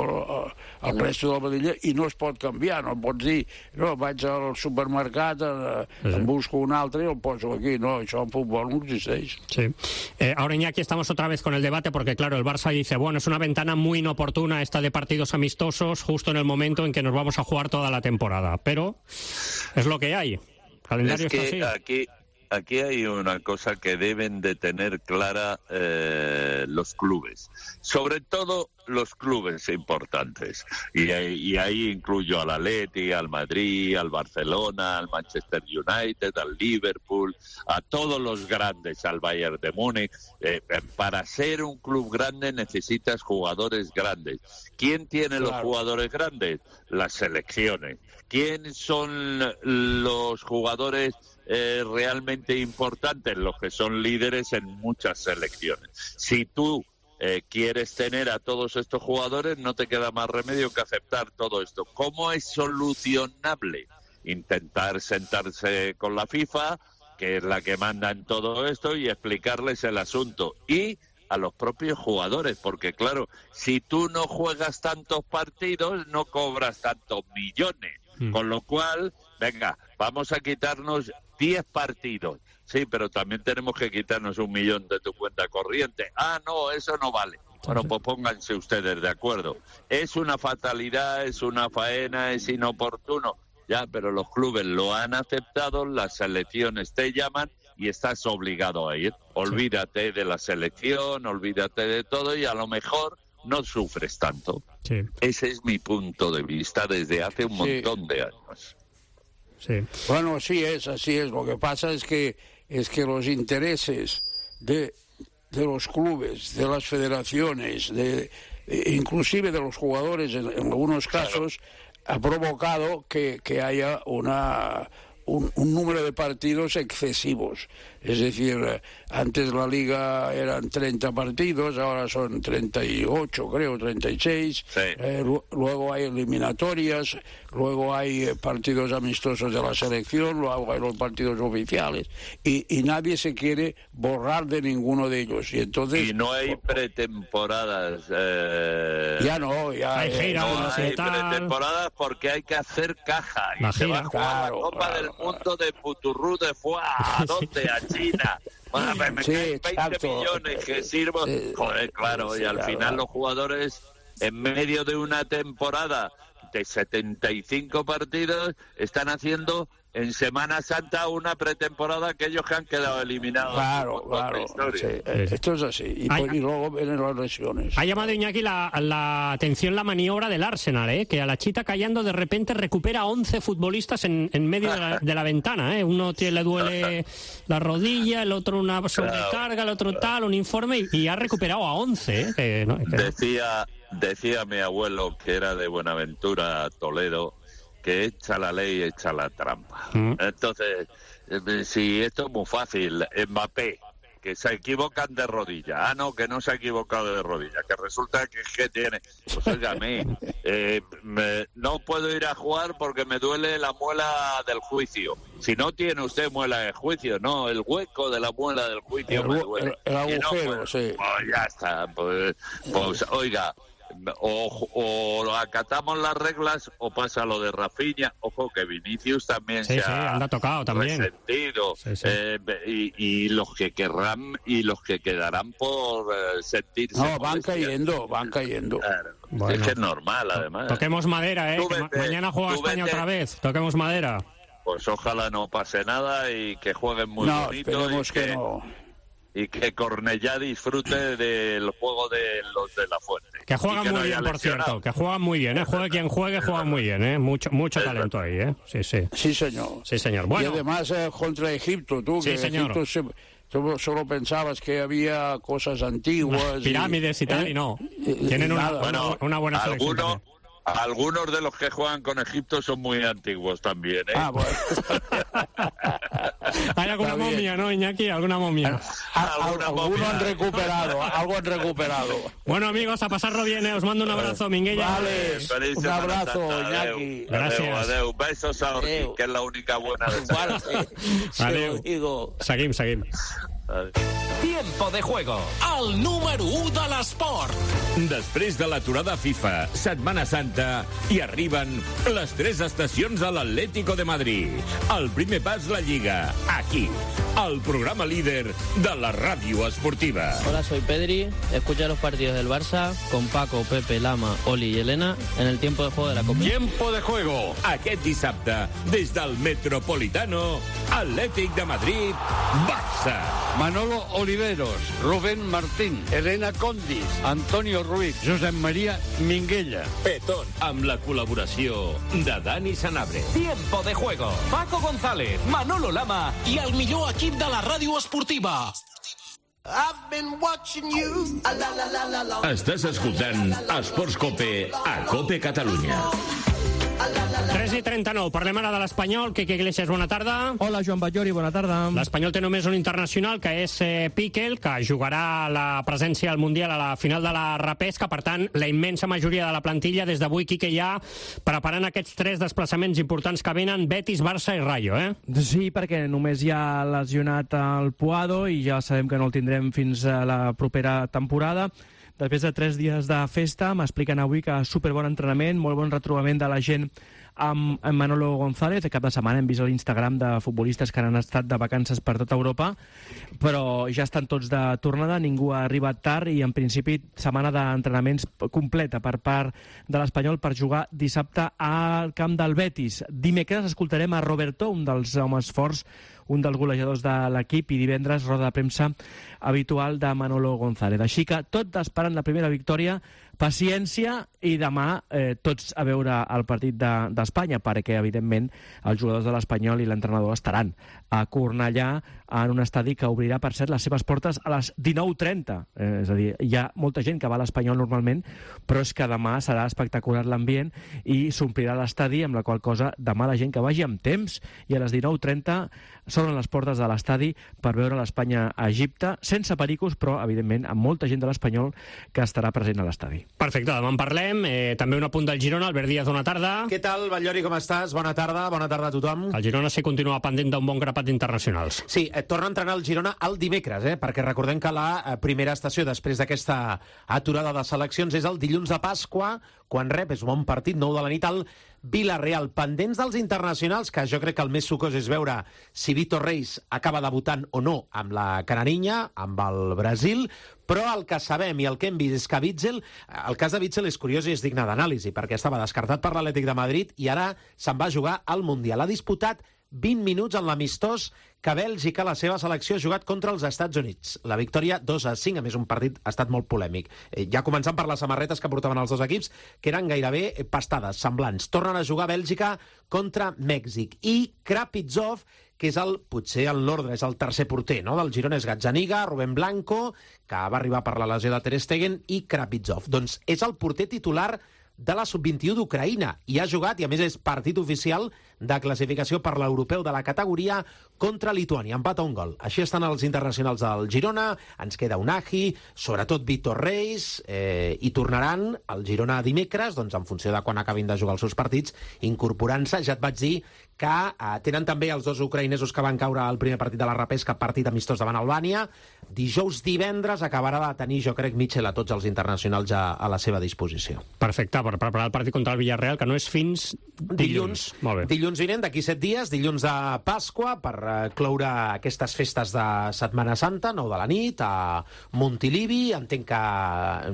al resto de la plantilla i no es pot canviar, no pots dir, no, vaig al supermercat, eh, em busco un altre i el poso aquí, no, això en futbol no existeix. Sí. Eh, ahora, Iñaki, estamos otra vez con el debate porque, claro, el Barça dice, bueno, es una ventana muy inoportuna esta de partidos amistosos justo en el momento en que nos vamos a jugar toda la temporada, pero es lo que hay. El calendario es que está así. Aquí, aquí hay una cosa que deben de tener clara eh, los clubes, sobre todo los clubes importantes, y, y ahí incluyo al Atleti, al Madrid, al Barcelona, al Manchester United, al Liverpool, a todos los grandes, al Bayern de Múnich. Eh, para ser un club grande necesitas jugadores grandes. ¿Quién tiene claro. los jugadores grandes? Las selecciones. ¿Quién son los jugadores eh, realmente importantes? Los que son líderes en muchas selecciones. Si tú eh, quieres tener a todos estos jugadores, no te queda más remedio que aceptar todo esto. ¿Cómo es solucionable? Intentar sentarse con la FIFA, que es la que manda en todo esto, y explicarles el asunto. Y a los propios jugadores, porque claro, si tú no juegas tantos partidos, no cobras tantos millones. Mm. Con lo cual, venga, vamos a quitarnos diez partidos. Sí, pero también tenemos que quitarnos un millón de tu cuenta corriente. Ah, no, eso no vale. Bueno, pues pónganse ustedes de acuerdo. Es una fatalidad, es una faena, es inoportuno. Ya, pero los clubes lo han aceptado, las selecciones te llaman y estás obligado a ir. Olvídate de la selección, olvídate de todo y a lo mejor no sufres tanto. Sí. Ese es mi punto de vista desde hace un montón sí. de años. Sí. Bueno, sí es, así es. Lo que pasa es que es que los intereses de, de los clubes, de las federaciones, de inclusive de los jugadores en, en algunos casos, claro. ha provocado que, que haya una un, un número de partidos excesivos. Es decir, antes la Liga eran treinta partidos, ahora son treinta y ocho, creo, treinta y seis. Sí. Eh, luego hay eliminatorias, luego hay partidos amistosos de la selección, luego hay los partidos oficiales. Y, y nadie se quiere borrar de ninguno de ellos. Y entonces... Y no hay pretemporadas. Eh... Ya no, ya... Hay giras, no hay pretemporadas porque hay que hacer caja. Y la se gira, va a jugar claro, la Copa claro, del claro. Mundo de Puturrú de Fuá. ¿A dónde? A China. Bueno, me, me sí, caen veinte millones que sirvo. Sí, Joder, claro, sí, y al claro. final los jugadores, en medio de una temporada de setenta y cinco partidos, están haciendo en Semana Santa una pretemporada que ellos que han quedado eliminados. Claro, claro. Sí, esto es así. Y, hay, y luego vienen las lesiones. Ha llamado Iñaki la, la atención la maniobra del Arsenal, ¿eh? Que a la Chita Callando de repente recupera once futbolistas en, en medio de la, de la ventana. ¿eh? Uno tiene, le duele la rodilla, el otro una sobrecarga, el otro tal, un informe, y, y ha recuperado a once. ¿eh? Que, no, que... Decía, decía mi abuelo, que era de Buenaventura, Toledo, que echa la ley, echa la trampa. Mm. Entonces, eh, si esto es muy fácil, Mbappé, que se equivocan de rodilla. Ah, no, que no se ha equivocado de rodilla, que resulta que, que tiene... Pues óigame, eh, me, no puedo ir a jugar porque me duele la muela del juicio. Si no tiene usted muela de juicio, no, el hueco de la muela del juicio el, me duele. El, el agujero, no, pues, sí. Pues ya está, pues, pues oiga... O, o acatamos las reglas o pasa lo de Rafinha. Ojo que Vinicius también sí, se sí, ha anda tocado también. resentido. Sí, sí. Eh, y, y los que querrán y los que quedarán por eh, sentirse. No, van cayendo, van cayendo. Claro. Bueno. Es que es normal, además. Toquemos madera, ¿eh? Que ma mañana juega España vete. otra vez. Toquemos madera. Pues ojalá no pase nada y que jueguen muy no, bonito. Esperemos y que, que no. Y que Cornellá disfrute del juego de los de la Fuente. Que juegan que muy no bien, por cierto. Que juegan muy bien, ¿eh? Juegue quien juegue, juegan muy bien, ¿eh? Mucho, mucho talento ahí, ¿eh? Sí, sí. Sí, señor. Sí, señor. Bueno. Y además eh, contra Egipto, tú, sí, que señor. Egipto se, tú solo pensabas que había cosas antiguas. Pirámides y, y tal, ¿eh? y no. Tienen una, bueno, una buena selección alguno, Algunos de los que juegan con Egipto son muy antiguos también, ¿eh? Ah, bueno. Hay alguna Está momia, bien. ¿no, Iñaki? ¿Alguna momia? Algunos han recuperado, algo han recuperado. Bueno, amigos, a pasarlo bien, ¿eh? Os mando un abrazo, Minguella. Vale, Feliz un abrazo, Iñaki. Gracias. Adeu, adeu. Besos a Ortiz, que es la única buena de esta. Adeu. Seguim, seguim. Tiempo de juego. El número u de l'esport. Després de l'aturada FIFA, Setmana Santa, i arriben les tres estacions de l'Atlético de Madrid. El primer pas, la Lliga. Aquí, el programa líder de la ràdio esportiva. Hola, soy Pedri. Escucha los partidos del Barça con Paco, Pepe, Lama, Oli y Elena en el tiempo de juego de la Copa. Tiempo de juego. Aquest dissabte, des del Metropolitano, Atlètic de Madrid, Barça. Manolo Oliveros, Rubén Martín, Elena Condis, Antonio Ruiz, Josep María Minguella. Petón, amb la col·laboració de Dani Sanabria. Tiempo de juego. Paco González, Manolo Lama i el millor equip de la ràdio esportiva. Estàs escoltant Esports Cope a Cope Catalunya. tres i trenta-nou, parlem ara de l'Espanyol. Quique Iglesias, bona tarda. Hola, Joan Batllori, bona tarda. L'Espanyol té només un internacional, que és eh, Piquel, que jugarà la presència al Mundial a la final de la repesca. Per tant, la immensa majoria de la plantilla des d'avui, Quique, ja preparant aquests tres desplaçaments importants que venen: Betis, Barça i Rayo, eh? Sí, perquè només hi ha lesionat el Puado i ja sabem que no el tindrem fins a la propera temporada. Després de tres dies de festa, m'expliquen avui que superbon entrenament, molt bon retrobament de la gent amb Manolo González. De cap de setmana hem vist a l'Instagram de futbolistes que han estat de vacances per tota Europa, però ja estan tots de tornada, ningú ha arribat tard i en principi setmana d'entrenaments completa per part de l'Espanyol per jugar dissabte al camp del Betis. Dimecres escoltarem a Roberto, un dels homes forts, un dels golejadors de l'equip, i divendres roda de premsa habitual de Manolo González. Així que tot esperant la primera victòria, paciència, i demà eh, tots a veure el partit d'Espanya, de, perquè evidentment els jugadors de l'Espanyol i l'entrenador estaran a Cornellà, en un estadi que obrirà, per cert, les seves portes a les dinou trenta. Eh, és a dir, hi ha molta gent que va a l'Espanyol normalment, però és que demà serà espectacular l'ambient i s'omplirà l'estadi, amb la qual cosa demà la gent que vagi amb temps i a les dinou trenta s'obren les portes de l'estadi per veure l'Espanya a Egipte, sense pericos, però evidentment amb molta gent de l'Espanyol que estarà present a l'estadi. Perfecte, demà en parlem. Eh, també un apunt del Girona. Albert Díaz, bona tarda. Què tal, Batllori, com estàs? Bona tarda, bona tarda a tothom. El Girona sí continua pendent d'un bon grapat d'internacionals. Sí, eh, torna a entrenar el Girona el dimecres, eh, perquè recordem que la eh, primera estació després d'aquesta aturada de seleccions és el dilluns de Pasqua, quan rep, és un bon partit, nou de la nit, al Villarreal. Pendents dels internacionals, que jo crec que el més sucós és veure si Vitor Reis acaba debutant o no amb la Canarinya, amb el Brasil, però el que sabem i el que hem vist és que Witsel, el cas de Witsel és curiós i és digne d'anàlisi, perquè estava descartat per l'Atlètic de Madrid i ara se'n va jugar al Mundial. Ha disputat vint minuts en l'amistós que Bèlgica, la seva selecció, ha jugat contra els Estats Units. La victòria dos a cinc, a més un partit ha estat molt polèmic. Eh, ja començant per les samarretes que portaven els dos equips, que eren gairebé pastades, semblants. Tornen a jugar Bèlgica contra Mèxic. I Krapizov, que és el, potser el l'ordre, és el tercer porter, no?, del Girona, és Gazzaniga, Rubén Blanco, que va arribar per la lesió de Ter Stegen, i Krapizov. Doncs és el porter titular de la sub vint-i-u d'Ucraïna, i ha jugat, i a més és partit oficial de classificació per l'europeu de la categoria contra Lituània. Empat a un gol. Així estan els internacionals del Girona, ens queda Unai, sobretot Vitor Reis, eh, i tornaran al Girona dimecres, doncs en funció de quan acabin de jugar els seus partits, incorporant-se. Ja et vaig dir que eh, tenen també els dos ucraïnesos que van caure al primer partit de la repesca, partit amistós davant Albània. Dijous, divendres, acabarà de tenir, jo crec, Mitchell a tots els internacionals ja a la seva disposició. Perfecte, per preparar el partit contra el Villarreal, que no és fins dilluns. Dilluns, Molt bé. dilluns vinent, d'aquí set dies, dilluns de Pasqua, per eh, cloure aquestes festes de Setmana Santa, nou de la nit, a Montilivi. Entenc que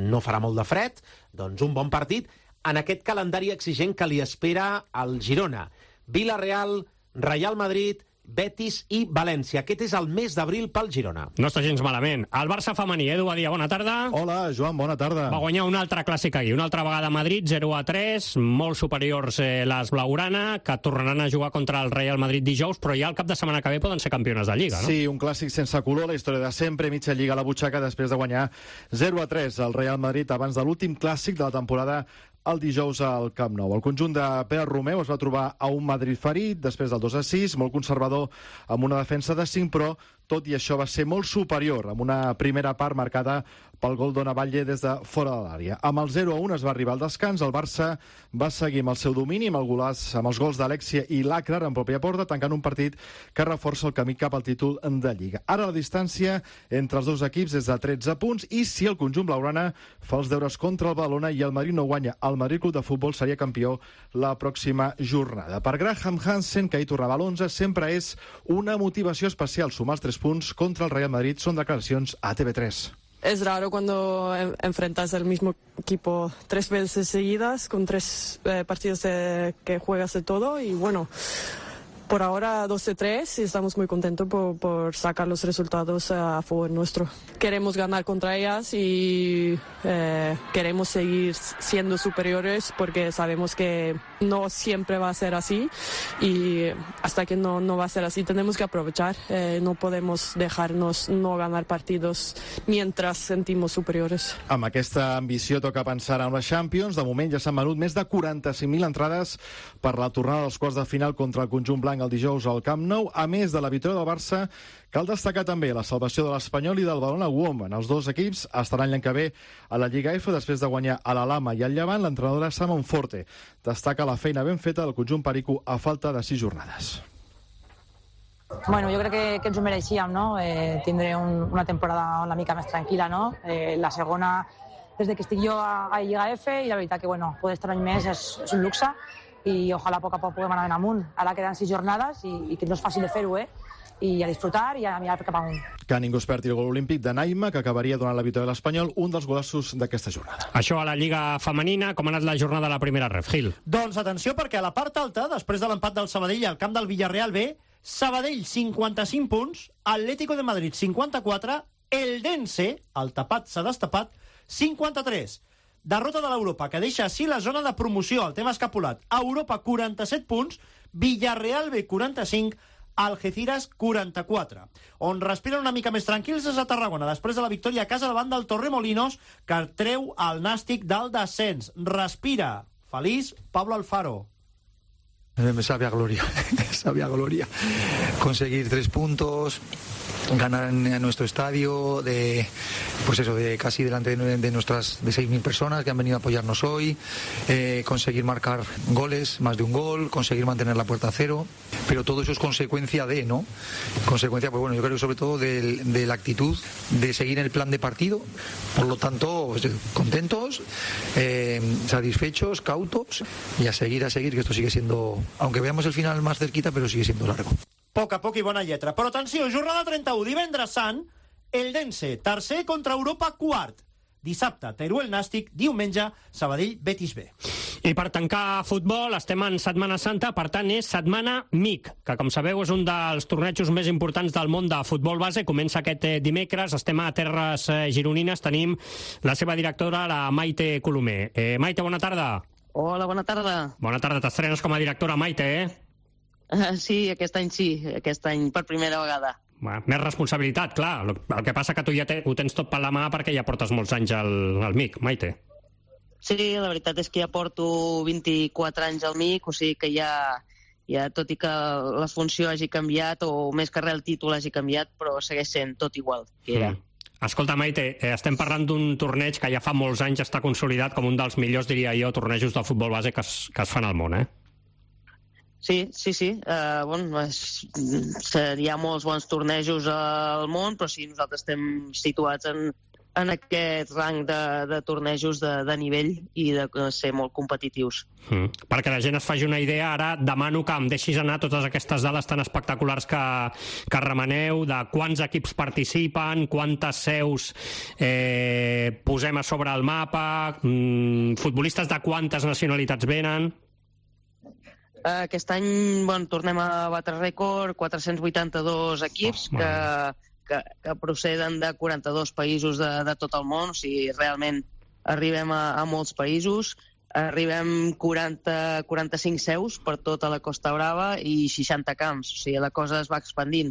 no farà molt de fred, doncs un bon partit en aquest calendari exigent que li espera al Girona. Villarreal, Real Madrid, Betis i València. Aquest és el mes d'abril pel Girona. No està gens malament. El Barça femení, Edu Badia, bona tarda. Hola, Joan, bona tarda. Va guanyar un altre clàssic aquí, una altra vegada a Madrid, zero a tres, molt superiors eh, les blaugrana, que tornaran a jugar contra el Real Madrid dijous, però ja el cap de setmana que ve poden ser campiones de Lliga, no? Sí, un clàssic sense color, la història de sempre, mitja Lliga a la butxaca després de guanyar zero a tres al Real Madrid abans de l'últim clàssic de la temporada el dijous al Camp Nou. El conjunt de Pere Romeu es va trobar a un Madrid ferit després del dos a sis, molt conservador amb una defensa de cinc, però tot i això va ser molt superior, amb una primera part marcada pel gol d'Ona Batlle des de fora de l'àrea. Amb el zero a un es va arribar al descans, el Barça va seguir amb el seu domini, amb, el golàs, amb els gols d'Alexia i Lacrar en pròpia porta, tancant un partit que reforça el camí cap al títol de Lliga. Ara la distància entre els dos equips és de tretze punts, i si el conjunt blaugrana fa els deures contra el Badalona i el Madrid no guanya, el Madrid Club de Futbol seria campió la pròxima jornada. Per Graham Hansen, que ahir tornava a l'onze, sempre és una motivació especial sumar els tres punts contra el Real Madrid. Són declaracions a T V tres. Es raro cuando enfrentas al mismo equipo tres veces seguidas, con tres eh, partidos de, que juegas de todo, y bueno, por ahora doce tres y estamos muy contentos por, por sacar los resultados a favor nuestro. Queremos ganar contra ellas y eh, queremos seguir siendo superiores porque sabemos que no siempre va a ser así y hasta que no, no va a ser así tenemos que aprovechar. Eh, no podemos dejarnos no ganar partidos mientras sentimos superiores. Amb aquesta ambició toca pensar en la Champions. De moment ja s'han venut més de quaranta-cinc mil entrades per la tornada dels quarts de final contra el conjunt blanc el dijous al Camp Nou. A més de la victòria del Barça, cal destacar també la salvació de l'Espanyol i del Badalona Women. Els dos equips estaran l'any que ve a la Lliga F després de guanyar a la Lama i al Llevant. L'entrenadora Simon Forte destaca la feina ben feta del conjunt perico a falta de sis jornades. Bueno, jo crec que, que ens ho mereixíem, no? Eh, tindré un, una temporada una mica més tranquil·la, no? Eh, la segona, des que estic jo a, a Lliga F, i la veritat que, bueno, poder estar un any més és, és un luxe, i ojalà a poc a poc puguem anar amunt. Ara queden sis jornades i, i que no és fàcil de fer-ho, eh? I a disfrutar i a mirar cap amunt. Que ningú es perdi el gol olímpic de Naima, que acabaria donant la victòria de l'Espanyol, un dels golossos d'aquesta jornada. Això a la Lliga Femenina, com ha anat la jornada de la primera ref, Gil? Doncs atenció, perquè a la part alta, després de l'empat del Sabadell al camp del Villarreal B, Sabadell cinquanta-cinc punts, Atlético de Madrid cinquanta-quatre, Eldense, el tapat s'ha destapat, cinquanta-tres. Derrota de l'Europa, que deixa així la zona de promoció, el tema escapulat. Europa quaranta-set punts, Villarreal B quaranta-cinc, Algeciras quaranta-quatre. On respiren una mica més tranquils és a Tarragona, després de la victòria a casa davant del Torremolinos, que treu el Nàstic del descens. Respira. Feliç, Pablo Alfaro. Me sabe a gloria, me sabe a gloria. Conseguir tres puntos, ganar en nuestro estadio, de, pues eso, de casi delante de, de nuestras de seis mil personas que han venido a apoyarnos hoy, eh, conseguir marcar goles, más de un gol, conseguir mantener la puerta a cero, pero todo eso es consecuencia de, ¿no? Consecuencia, pues bueno, yo creo que sobre todo de, de la actitud de seguir el plan de partido, por lo tanto, pues, contentos, eh, satisfechos, cautos, y a seguir, a seguir, que esto sigue siendo, aunque veamos el final más cerquita, pero sigue siendo largo. Poc a poc i bona lletra. Però atenció, jornada trenta-u, divendres sant, Eldense, tercer contra Europa, quart. Dissabte, Teruel Nàstic, diumenge, Sabadell Betis B. I per tancar futbol, estem en Setmana Santa, per tant és Setmana M I C, que com sabeu és un dels tornejos més importants del món de futbol base. Comença aquest dimecres, estem a terres gironines, tenim la seva directora, la Maite Colomer. Eh, Maite, bona tarda. Hola, bona tarda. Bona tarda, t'estrenes com a directora, Maite, eh? Uh, sí, aquest any sí, aquest any per primera vegada. Bueno, més responsabilitat, clar. El que passa que tu ja te, ho tens tot per la mà perquè ja portes molts anys al, al M I C, Maite. Sí, la veritat és que ja porto vint-i-quatre anys al M I C, o sigui que ja, ja tot i que la funció hagi canviat, o més que res el títol hagi canviat, però segueix sent tot igual que era. Mm. Escolta, Maite, eh, estem parlant d'un torneig que ja fa molts anys està consolidat com un dels millors, diria jo, tornejos de futbol base que es, que es fan al món, eh? Sí, sí, sí. Uh, bueno, és, hi ha molts bons tornejos al món, però sí, nosaltres estem situats en, en aquest rang de, de tornejos de, de nivell i de ser molt competitius. Mm. Perquè la gent es faci una idea, ara demano que em deixis anar totes aquestes dades tan espectaculars que, que remeneu, de quants equips participen, quantes seus eh, posem a sobre el mapa, mm, futbolistes de quantes nacionalitats venen... Aquest any, bueno, tornem a batre rècord, quatre-cents vuitanta-dos equips oh, que, que, que proceden de quaranta-dos països de, de tot el món, o sigui, realment arribem a, a molts països, arribem quaranta, quaranta-cinc seus per tota la Costa Brava i seixanta camps, o sigui, la cosa es va expandint.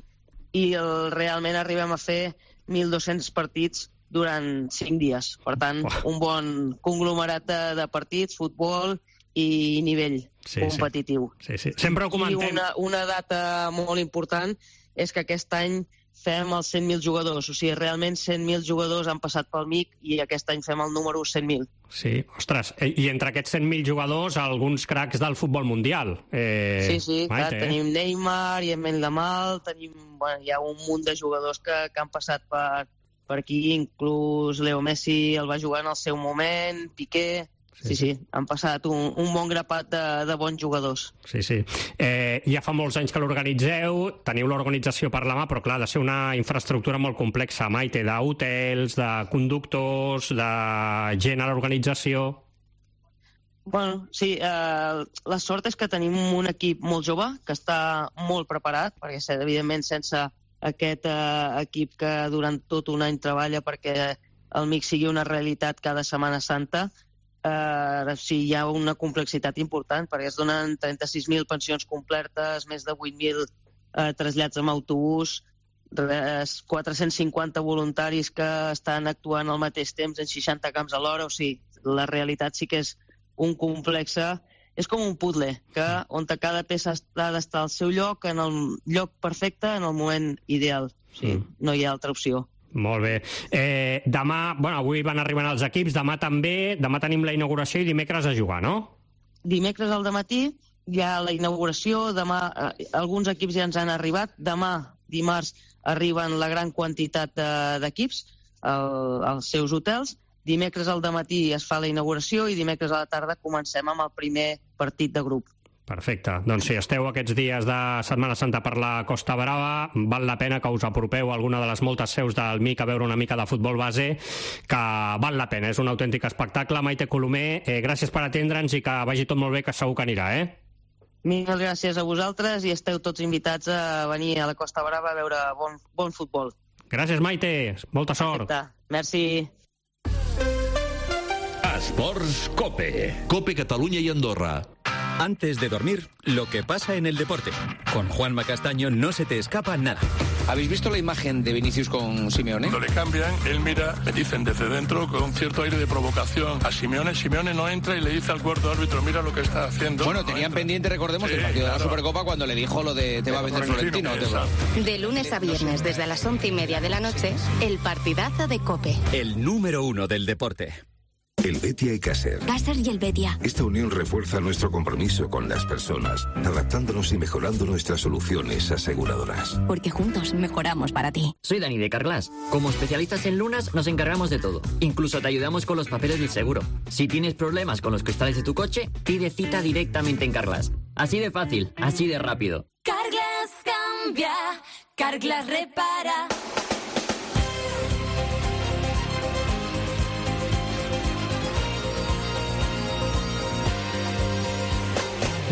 I el, realment arribem a fer mil dos-cents partits durant cinc dies. Per tant, oh. un bon conglomerat de, de partits, futbol i nivell sí, competitiu. Sí. Sí, sí. Sempre ho comentem. I una, una data molt important és que aquest any fem els cent mil jugadors. O sigui, realment cent mil jugadors han passat pel M I C i aquest any fem el número cent mil. Sí, ostres, i entre aquests cent mil jugadors, alguns cracs del futbol mundial. Eh, sí, sí, clar, Maite, tenim eh? Neymar, Yemen Lamal, tenim, bueno, hi ha un munt de jugadors que, que han passat per, per aquí, inclús Leo Messi el va jugar en el seu moment, Piqué... Sí, sí, han passat un, un bon grapat de, de bons jugadors. Sí, sí. Eh, ja fa molts anys que l'organitzeu, teniu l'organització per la mà, però clar, ha de ser una infraestructura molt complexa, Maite, d'hotels, de conductors, de gent a l'organització... Bueno, sí, eh, la sort és que tenim un equip molt jove, que està molt preparat, perquè evidentment sense aquest eh, equip que durant tot un any treballa perquè el mix sigui una realitat cada Setmana Santa, eh, sí, hi ha una complexitat important, perquè es donen trenta-sis mil pensions completes, més de vuit mil eh, trasllats amb autobús, quatre-cents cinquanta voluntaris que estan actuant al mateix temps en seixanta camps alhora, o sigui, la realitat sí que és un complex, és com un puzzle, que on cada peça ha d'estar al seu lloc, en el lloc perfecte, en el moment ideal. O sigui, mm. no hi ha altra opció. Molt bé. Eh, demà, bueno, avui van arribant els equips, demà també, demà tenim la inauguració i dimecres a jugar, no? Dimecres al dematí hi ha la inauguració, demà eh, alguns equips ja ens han arribat, demà, dimarts, arriben la gran quantitat d'equips al, als seus hotels. Dimecres al dematí es fa la inauguració i dimecres a la tarda comencem amb el primer partit de grup. Perfecte. Doncs si esteu aquests dies de Setmana Santa per la Costa Brava, val la pena que us apropeu a alguna de les moltes seus del M I C a veure una mica de futbol base, que val la pena, és un autèntic espectacle. Maite Colomer, eh, gràcies per atendre'ns i que vagi tot molt bé, que segur que anirà, eh? Moltes gràcies a vosaltres i esteu tots invitats a venir a la Costa Brava a veure bon, bon futbol. Gràcies, Maite. Molta sort. Perfecte. Merci. Esports Cope. Cope Catalunya y Andorra. Antes de dormir, lo que pasa en el deporte. Con Juanma Castaño no se te escapa nada. ¿Habéis visto la imagen de Vinicius con Simeone? Cuando le cambian, él mira, me dicen desde dentro, con cierto aire de provocación a Simeone. Simeone no entra y le dice al cuarto árbitro, mira lo que está haciendo. Bueno, no tenían entra. pendiente, recordemos, sí, el partido claro. de la Supercopa cuando le dijo lo de te va a vender Florentino. Te va. De lunes a viernes, desde las once y media de la noche, el partidazo de COPE. El número uno del deporte. El Betia y Caser. Caser y el Betia. Esta unión refuerza nuestro compromiso con las personas, adaptándonos y mejorando nuestras soluciones aseguradoras. Porque juntos mejoramos para ti. Soy Dani de Carglass. Como especialistas en lunas nos encargamos de todo. Incluso te ayudamos con los papeles del seguro. Si tienes problemas con los cristales de tu coche, pide cita directamente en Carglass. Así de fácil, así de rápido. Carglass cambia, Carglass repara.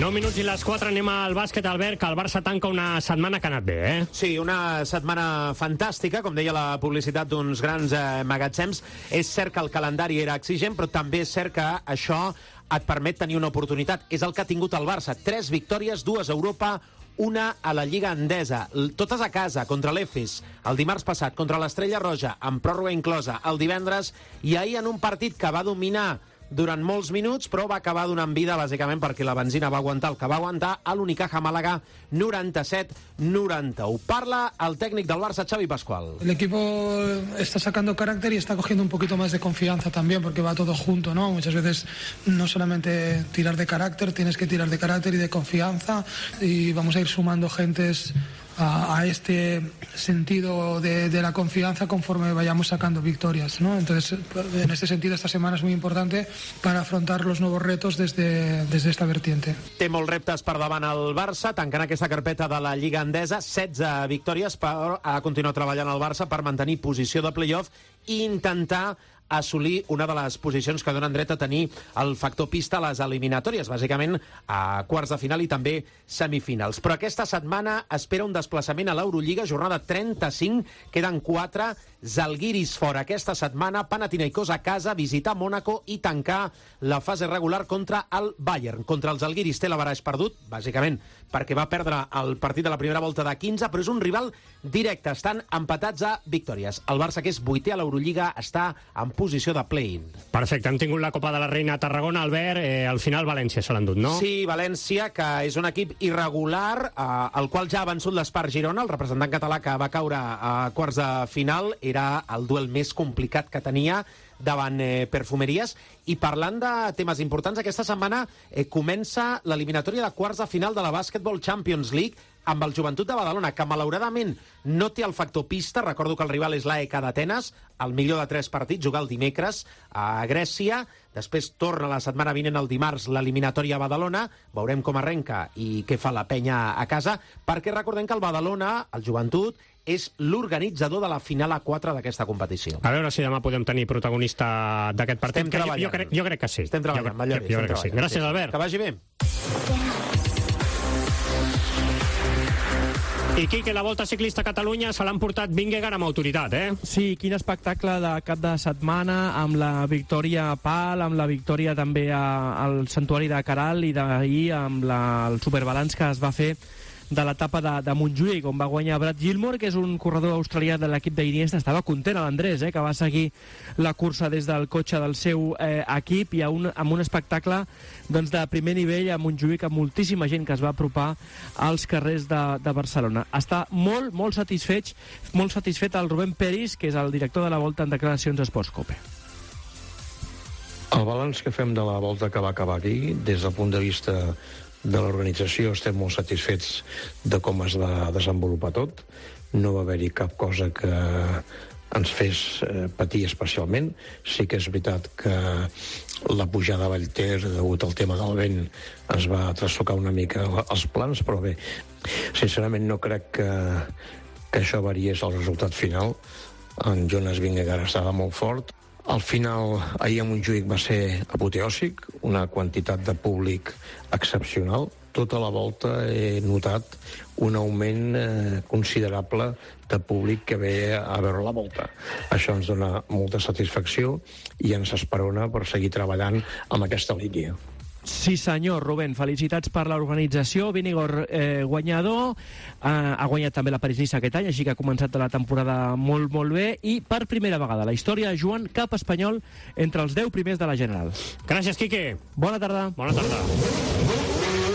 nou minuts i les quatre, anem al bàsquet, Albert, que el Barça tanca una setmana que ha anat bé, eh? Sí, una setmana fantàstica, com deia la publicitat d'uns grans eh, magatzems. És cert que el calendari era exigent, però també és cert que això et permet tenir una oportunitat. És el que ha tingut el Barça. Tres victòries, dues a Europa, una a la Lliga Endesa, totes a casa, contra l'Efes, el dimarts passat, contra l'Estrella Roja, amb pròrroga inclosa, el divendres, i ahir en un partit que va dominar durant molts minuts, però va acabar donant vida, bàsicament, perquè la benzina va aguantar el que va aguantar a l'Unicaja Màlaga, noranta-set noranta-u. Parla el técnico del Barça, Xavi Pascual. El equipo está sacando carácter y está cogiendo un poquito más de confianza también, porque va todo junto, ¿no? Muchas veces no solamente tirar de carácter, tienes que tirar de carácter y de confianza, y vamos a ir sumando gentes a, a este sentido de, de la confianza conforme vayamos sacando victorias, ¿no? Entonces, en este sentido, esta semana es muy importante para afrontar los nuevos retos desde, desde esta vertiente. Té molts reptes per davant el Barça, tancant aquesta carpeta de la Lliga Endesa, setze victòries, però ha de continuar treballant el Barça per mantenir posició de playoff i intentar assolir una de les posicions que donen dret a tenir el factor pista a les eliminatòries, bàsicament a quarts de final i també semifinals. Però aquesta setmana espera un desplaçament a l'Eurolliga, jornada trenta-cinc, queden quatre, Zalgiris fora aquesta setmana, Panathinaikos a casa, visitar Mònaco i tancar la fase regular contra el Bayern. Contra els Zalgiris té l'averaix perdut, bàsicament perquè va perdre el partit de la primera volta de quinze, però és un rival directe, estan empatats a victòries. El Barça, que és vuitè a l'Eurolliga, està en posició de play-in. Perfecte, hem tingut la Copa de la Reina a Tarragona, Albert, eh, al final València se l'ha endut, no? Sí, València, que és un equip irregular, eh, el qual ja ha vençut l'Espar Girona, el representant català que va caure a quarts de final, era el duel més complicat que tenia davant eh, Perfumeries. I parlant de temes importants, aquesta setmana eh, comença l'eliminatòria de quarts de final de la Basketball Champions League amb el Joventut de Badalona, que malauradament no té el factor pista. Recordo que el rival és l'A E K d'Atenes, el millor de tres partits, jugar el dimecres a Grècia, després torna la setmana vinent el dimarts l'eliminatòria a Badalona, veurem com arrenca i què fa la penya a casa, perquè recordem que el Badalona, el Joventut, és l'organitzador de la final A quatre d'aquesta competició. A veure si demà podem tenir protagonista d'aquest partit. Estem treballant. Jo, jo, crec, jo crec que sí. Estem treballant, jo, jo, jo crec que sí. Gràcies, Albert. Que vagi bé. I Quique, la Volta Ciclista a Catalunya se l'han portat Vingegaard amb autoritat, eh? Sí, quin espectacle de cap de setmana, amb la victòria a Pal, amb la victòria també a, al Santuari de Caral i d'ahir amb la, el superbalanç que es va fer de l'etapa de, de Montjuïc, on va guanyar Brad Gilmore, que és un corredor australià de l'equip d'Iniesta. Estava content l'Andrés, eh, que va seguir la cursa des del cotxe del seu eh, equip i a un, amb un espectacle doncs, de primer nivell a Montjuïc, amb moltíssima gent que es va apropar als carrers de, de Barcelona. Està molt, molt satisfet, molt satisfet el Rubén Peris, que és el director de la Volta en declaracions a Sports Cope. El balanç que fem de la Volta que va acabar aquí, des del punt de vista de l'organització, estem molt satisfets de com es va desenvolupar tot. No va haver-hi cap cosa que ens fes eh, patir especialment. Sí que és veritat que la pujada a Vallter, degut al tema del vent, ens va trastocar una mica els plans, però bé, sincerament no crec que, que això variés el resultat final. En Jonas Vingegaard estava molt fort. Al final, ahir a Montjuïc va ser apoteòsic, una quantitat de públic excepcional. Tota la volta he notat un augment eh, considerable de públic que ve a veure la volta. Això ens dona molta satisfacció i ens esperona per seguir treballant amb aquesta línia. Sí senyor, Rubén, felicitats per l'organització. Vingegaard eh, guanyador, eh, ha guanyat també la París-Niça aquest any, així que ha començat la temporada molt, molt bé, i per primera vegada a la història, Joan, cap espanyol entre els deu primers de la General. Gràcies, Quique. Bona tarda. Bona tarda.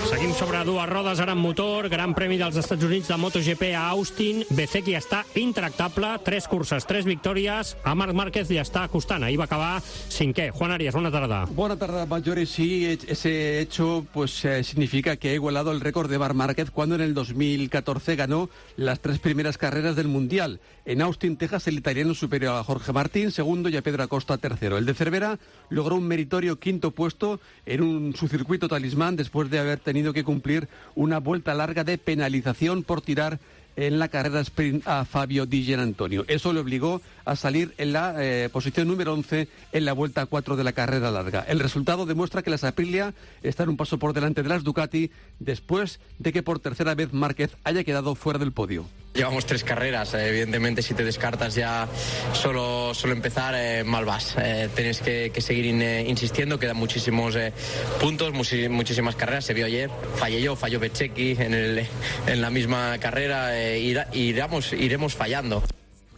Seguim sobre dues rodes, ara amb motor, Gran Premi dels Estats Units de MotoGP a Austin. Bezzecchi està intractable, tres curses, tres victòries. A Marc Márquez li està costant, ahir va acabar cinquè. Juan Arias, bona tarda. Buena tarde, Mayores. Sí, ese hecho pues eh, significa que ha igualado el récord de Marc Márquez cuando en el dos mil catorce ganó las tres primeras carreras del Mundial. En Austin, Texas, el italiano superior a Jorge Martín, segundo, y a Pedro Acosta, tercero. El de Cervera logró un meritorio quinto puesto en un, su circuito talismán después de haber tenido que cumplir una vuelta larga de penalización por tirar en la carrera sprint a Fabio Di Gianantonio. Eso le obligó a salir en la eh, posición número once en la vuelta cuatro de la carrera larga. El resultado demuestra que las Aprilia están un paso por delante de las Ducati después de que por tercera vez Márquez haya quedado fuera del podio. Llevamos tres carreras, evidentemente si te descartas ya solo, solo empezar, eh, mal vas. Eh, tienes que, que seguir in, eh, insistiendo, quedan muchísimos eh, puntos, muchis, muchísimas carreras. Se vio ayer, fallé yo, falló Bezzecchi en, el, en la misma carrera, eh, irá, iremos, iremos fallando.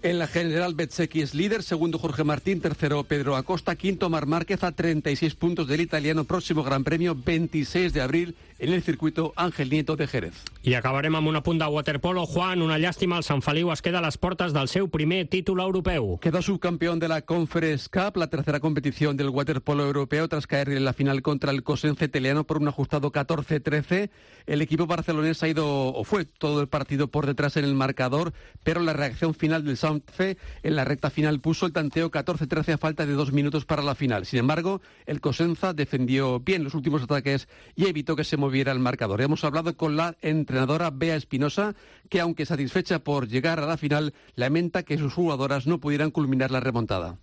En la general, Bezzecchi es líder, segundo Jorge Martín, tercero Pedro Acosta, quinto Marc Márquez a treinta y seis puntos del italiano. Próximo Gran Premio, veintiséis de abril, en el circuito Ángel Nieto de Jerez. I acabarem amb un apunt de waterpolo. Juan, una llàstima, el Sant Feliu es queda a les portes del seu primer títol europeu. Quedó subcampeón de la Conference Cup, la tercera competición del waterpolo europeo, tras caer en la final contra el Cosenza italiano por un ajustado catorce trece. El equipo barcelonés ha ido, o fue todo el partido por detrás en el marcador, pero la reacción final del Sanfe en la recta final puso el tanteo catorce trece a falta de dos minutos para la final. Sin embargo, el Cosenza defendió bien los últimos ataques y evitó que se moviera el marcador. Hemos hablado con la entrenadora Bea Espinosa, que aunque satisfecha por llegar a la final, lamenta que sus jugadoras no pudieran culminar la remontada.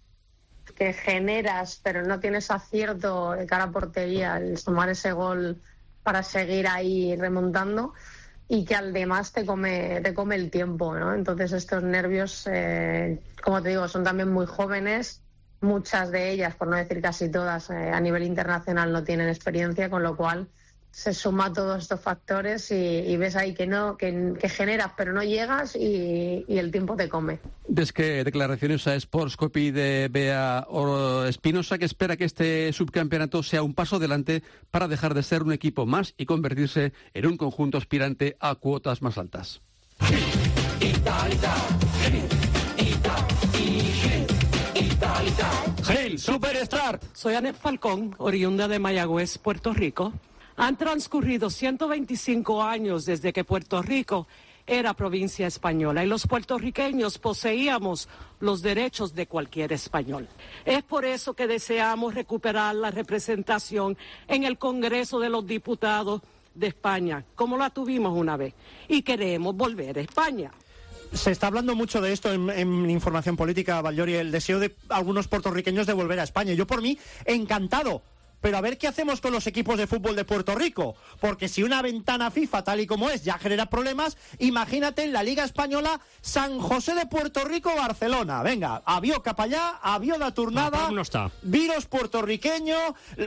Que generas, pero no tienes acierto de cara a portería, el tomar ese gol para seguir ahí remontando, y que además te come, te come el tiempo, ¿no? Entonces estos nervios, eh, como te digo, son también muy jóvenes. Muchas de ellas, por no decir casi todas, eh, a nivel internacional no tienen experiencia, con lo cual se suma todos estos factores y, y ves ahí que no que, que generas pero no llegas y, y el tiempo te come. Des que declaraciones a Sports Copy de Bea Espinosa, que espera que este subcampeonato sea un paso adelante para dejar de ser un equipo más y convertirse en un conjunto aspirante a cuotas más altas. Hail Superstar. Soy Anet Falcón, oriunda de Mayagüez, Puerto Rico. Han transcurrido ciento veinticinco años desde que Puerto Rico era provincia española y los puertorriqueños poseíamos los derechos de cualquier español. Es por eso que deseamos recuperar la representación en el Congreso de los Diputados de España, como la tuvimos una vez, y queremos volver a España. Se está hablando mucho de esto en, en información política, Vallori, el deseo de algunos puertorriqueños de volver a España. Yo por mí, encantado. Pero a ver qué hacemos con los equipos de fútbol de Puerto Rico. Porque si una ventana FIFA, tal y como es, ya genera problemas, imagínate en la Liga Española San José de Puerto Rico, Barcelona. Venga, avió cap allá, avió de tornada, no está. virus puertorriqueño,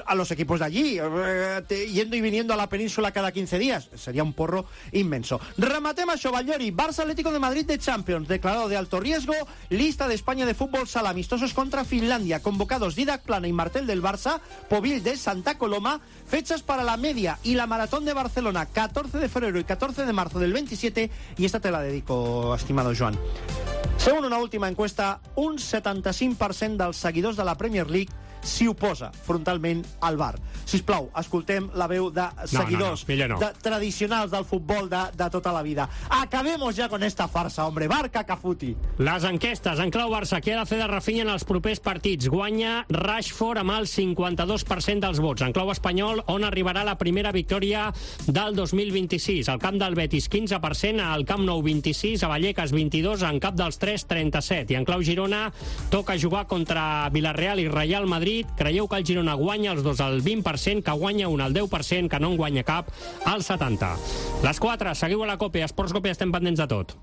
a los equipos de allí, eh, yendo y viniendo a la península cada quince días. Sería un porro inmenso. Rematem això, Vallori. Barça Atlético de Madrid de Champions, declarado de alto riesgo. Lista de España de fútbol sala, amistosos contra Finlandia. Convocados Didac Plana y Martel del Barça, Povil de Santa Coloma. Fechas para la media y la maratón de Barcelona, catorce de febrero y catorce de marzo del veintisiete. Y esta te la dedico, estimado Joan. Según una última encuesta, un setanta-cinc per cent dels seguidors de la Premier League s'hi oposa frontalment al V A R. Sisplau, escoltem la veu de seguidors no, no, no, no. De, tradicionals del futbol de, de tota la vida. Acabemos ja con esta farsa, hombre. Barca Cafuti. Les enquestes en clau Barça. Què ha de fer de Rafinha en els propers partits? Guanya Rashford amb el cinquanta-dos per cent dels vots. En clau espanyol, on arribarà la primera victòria del dos mil vint-i-sis? Al camp del Betis, quinze per cent. Al Camp Nou, vint-i-sis. A Vallecas, vint-i-dos. En cap dels tres, trenta-set. I en clau Girona, toca jugar contra Villarreal i Real Madrid. Creieu que el Girona guanya els dos al vint per cent, que guanya un al deu per cent, que no en guanya cap al setanta per cent. Les quatre, seguiu a la Cope, a Esports Cope, estem pendents de tot.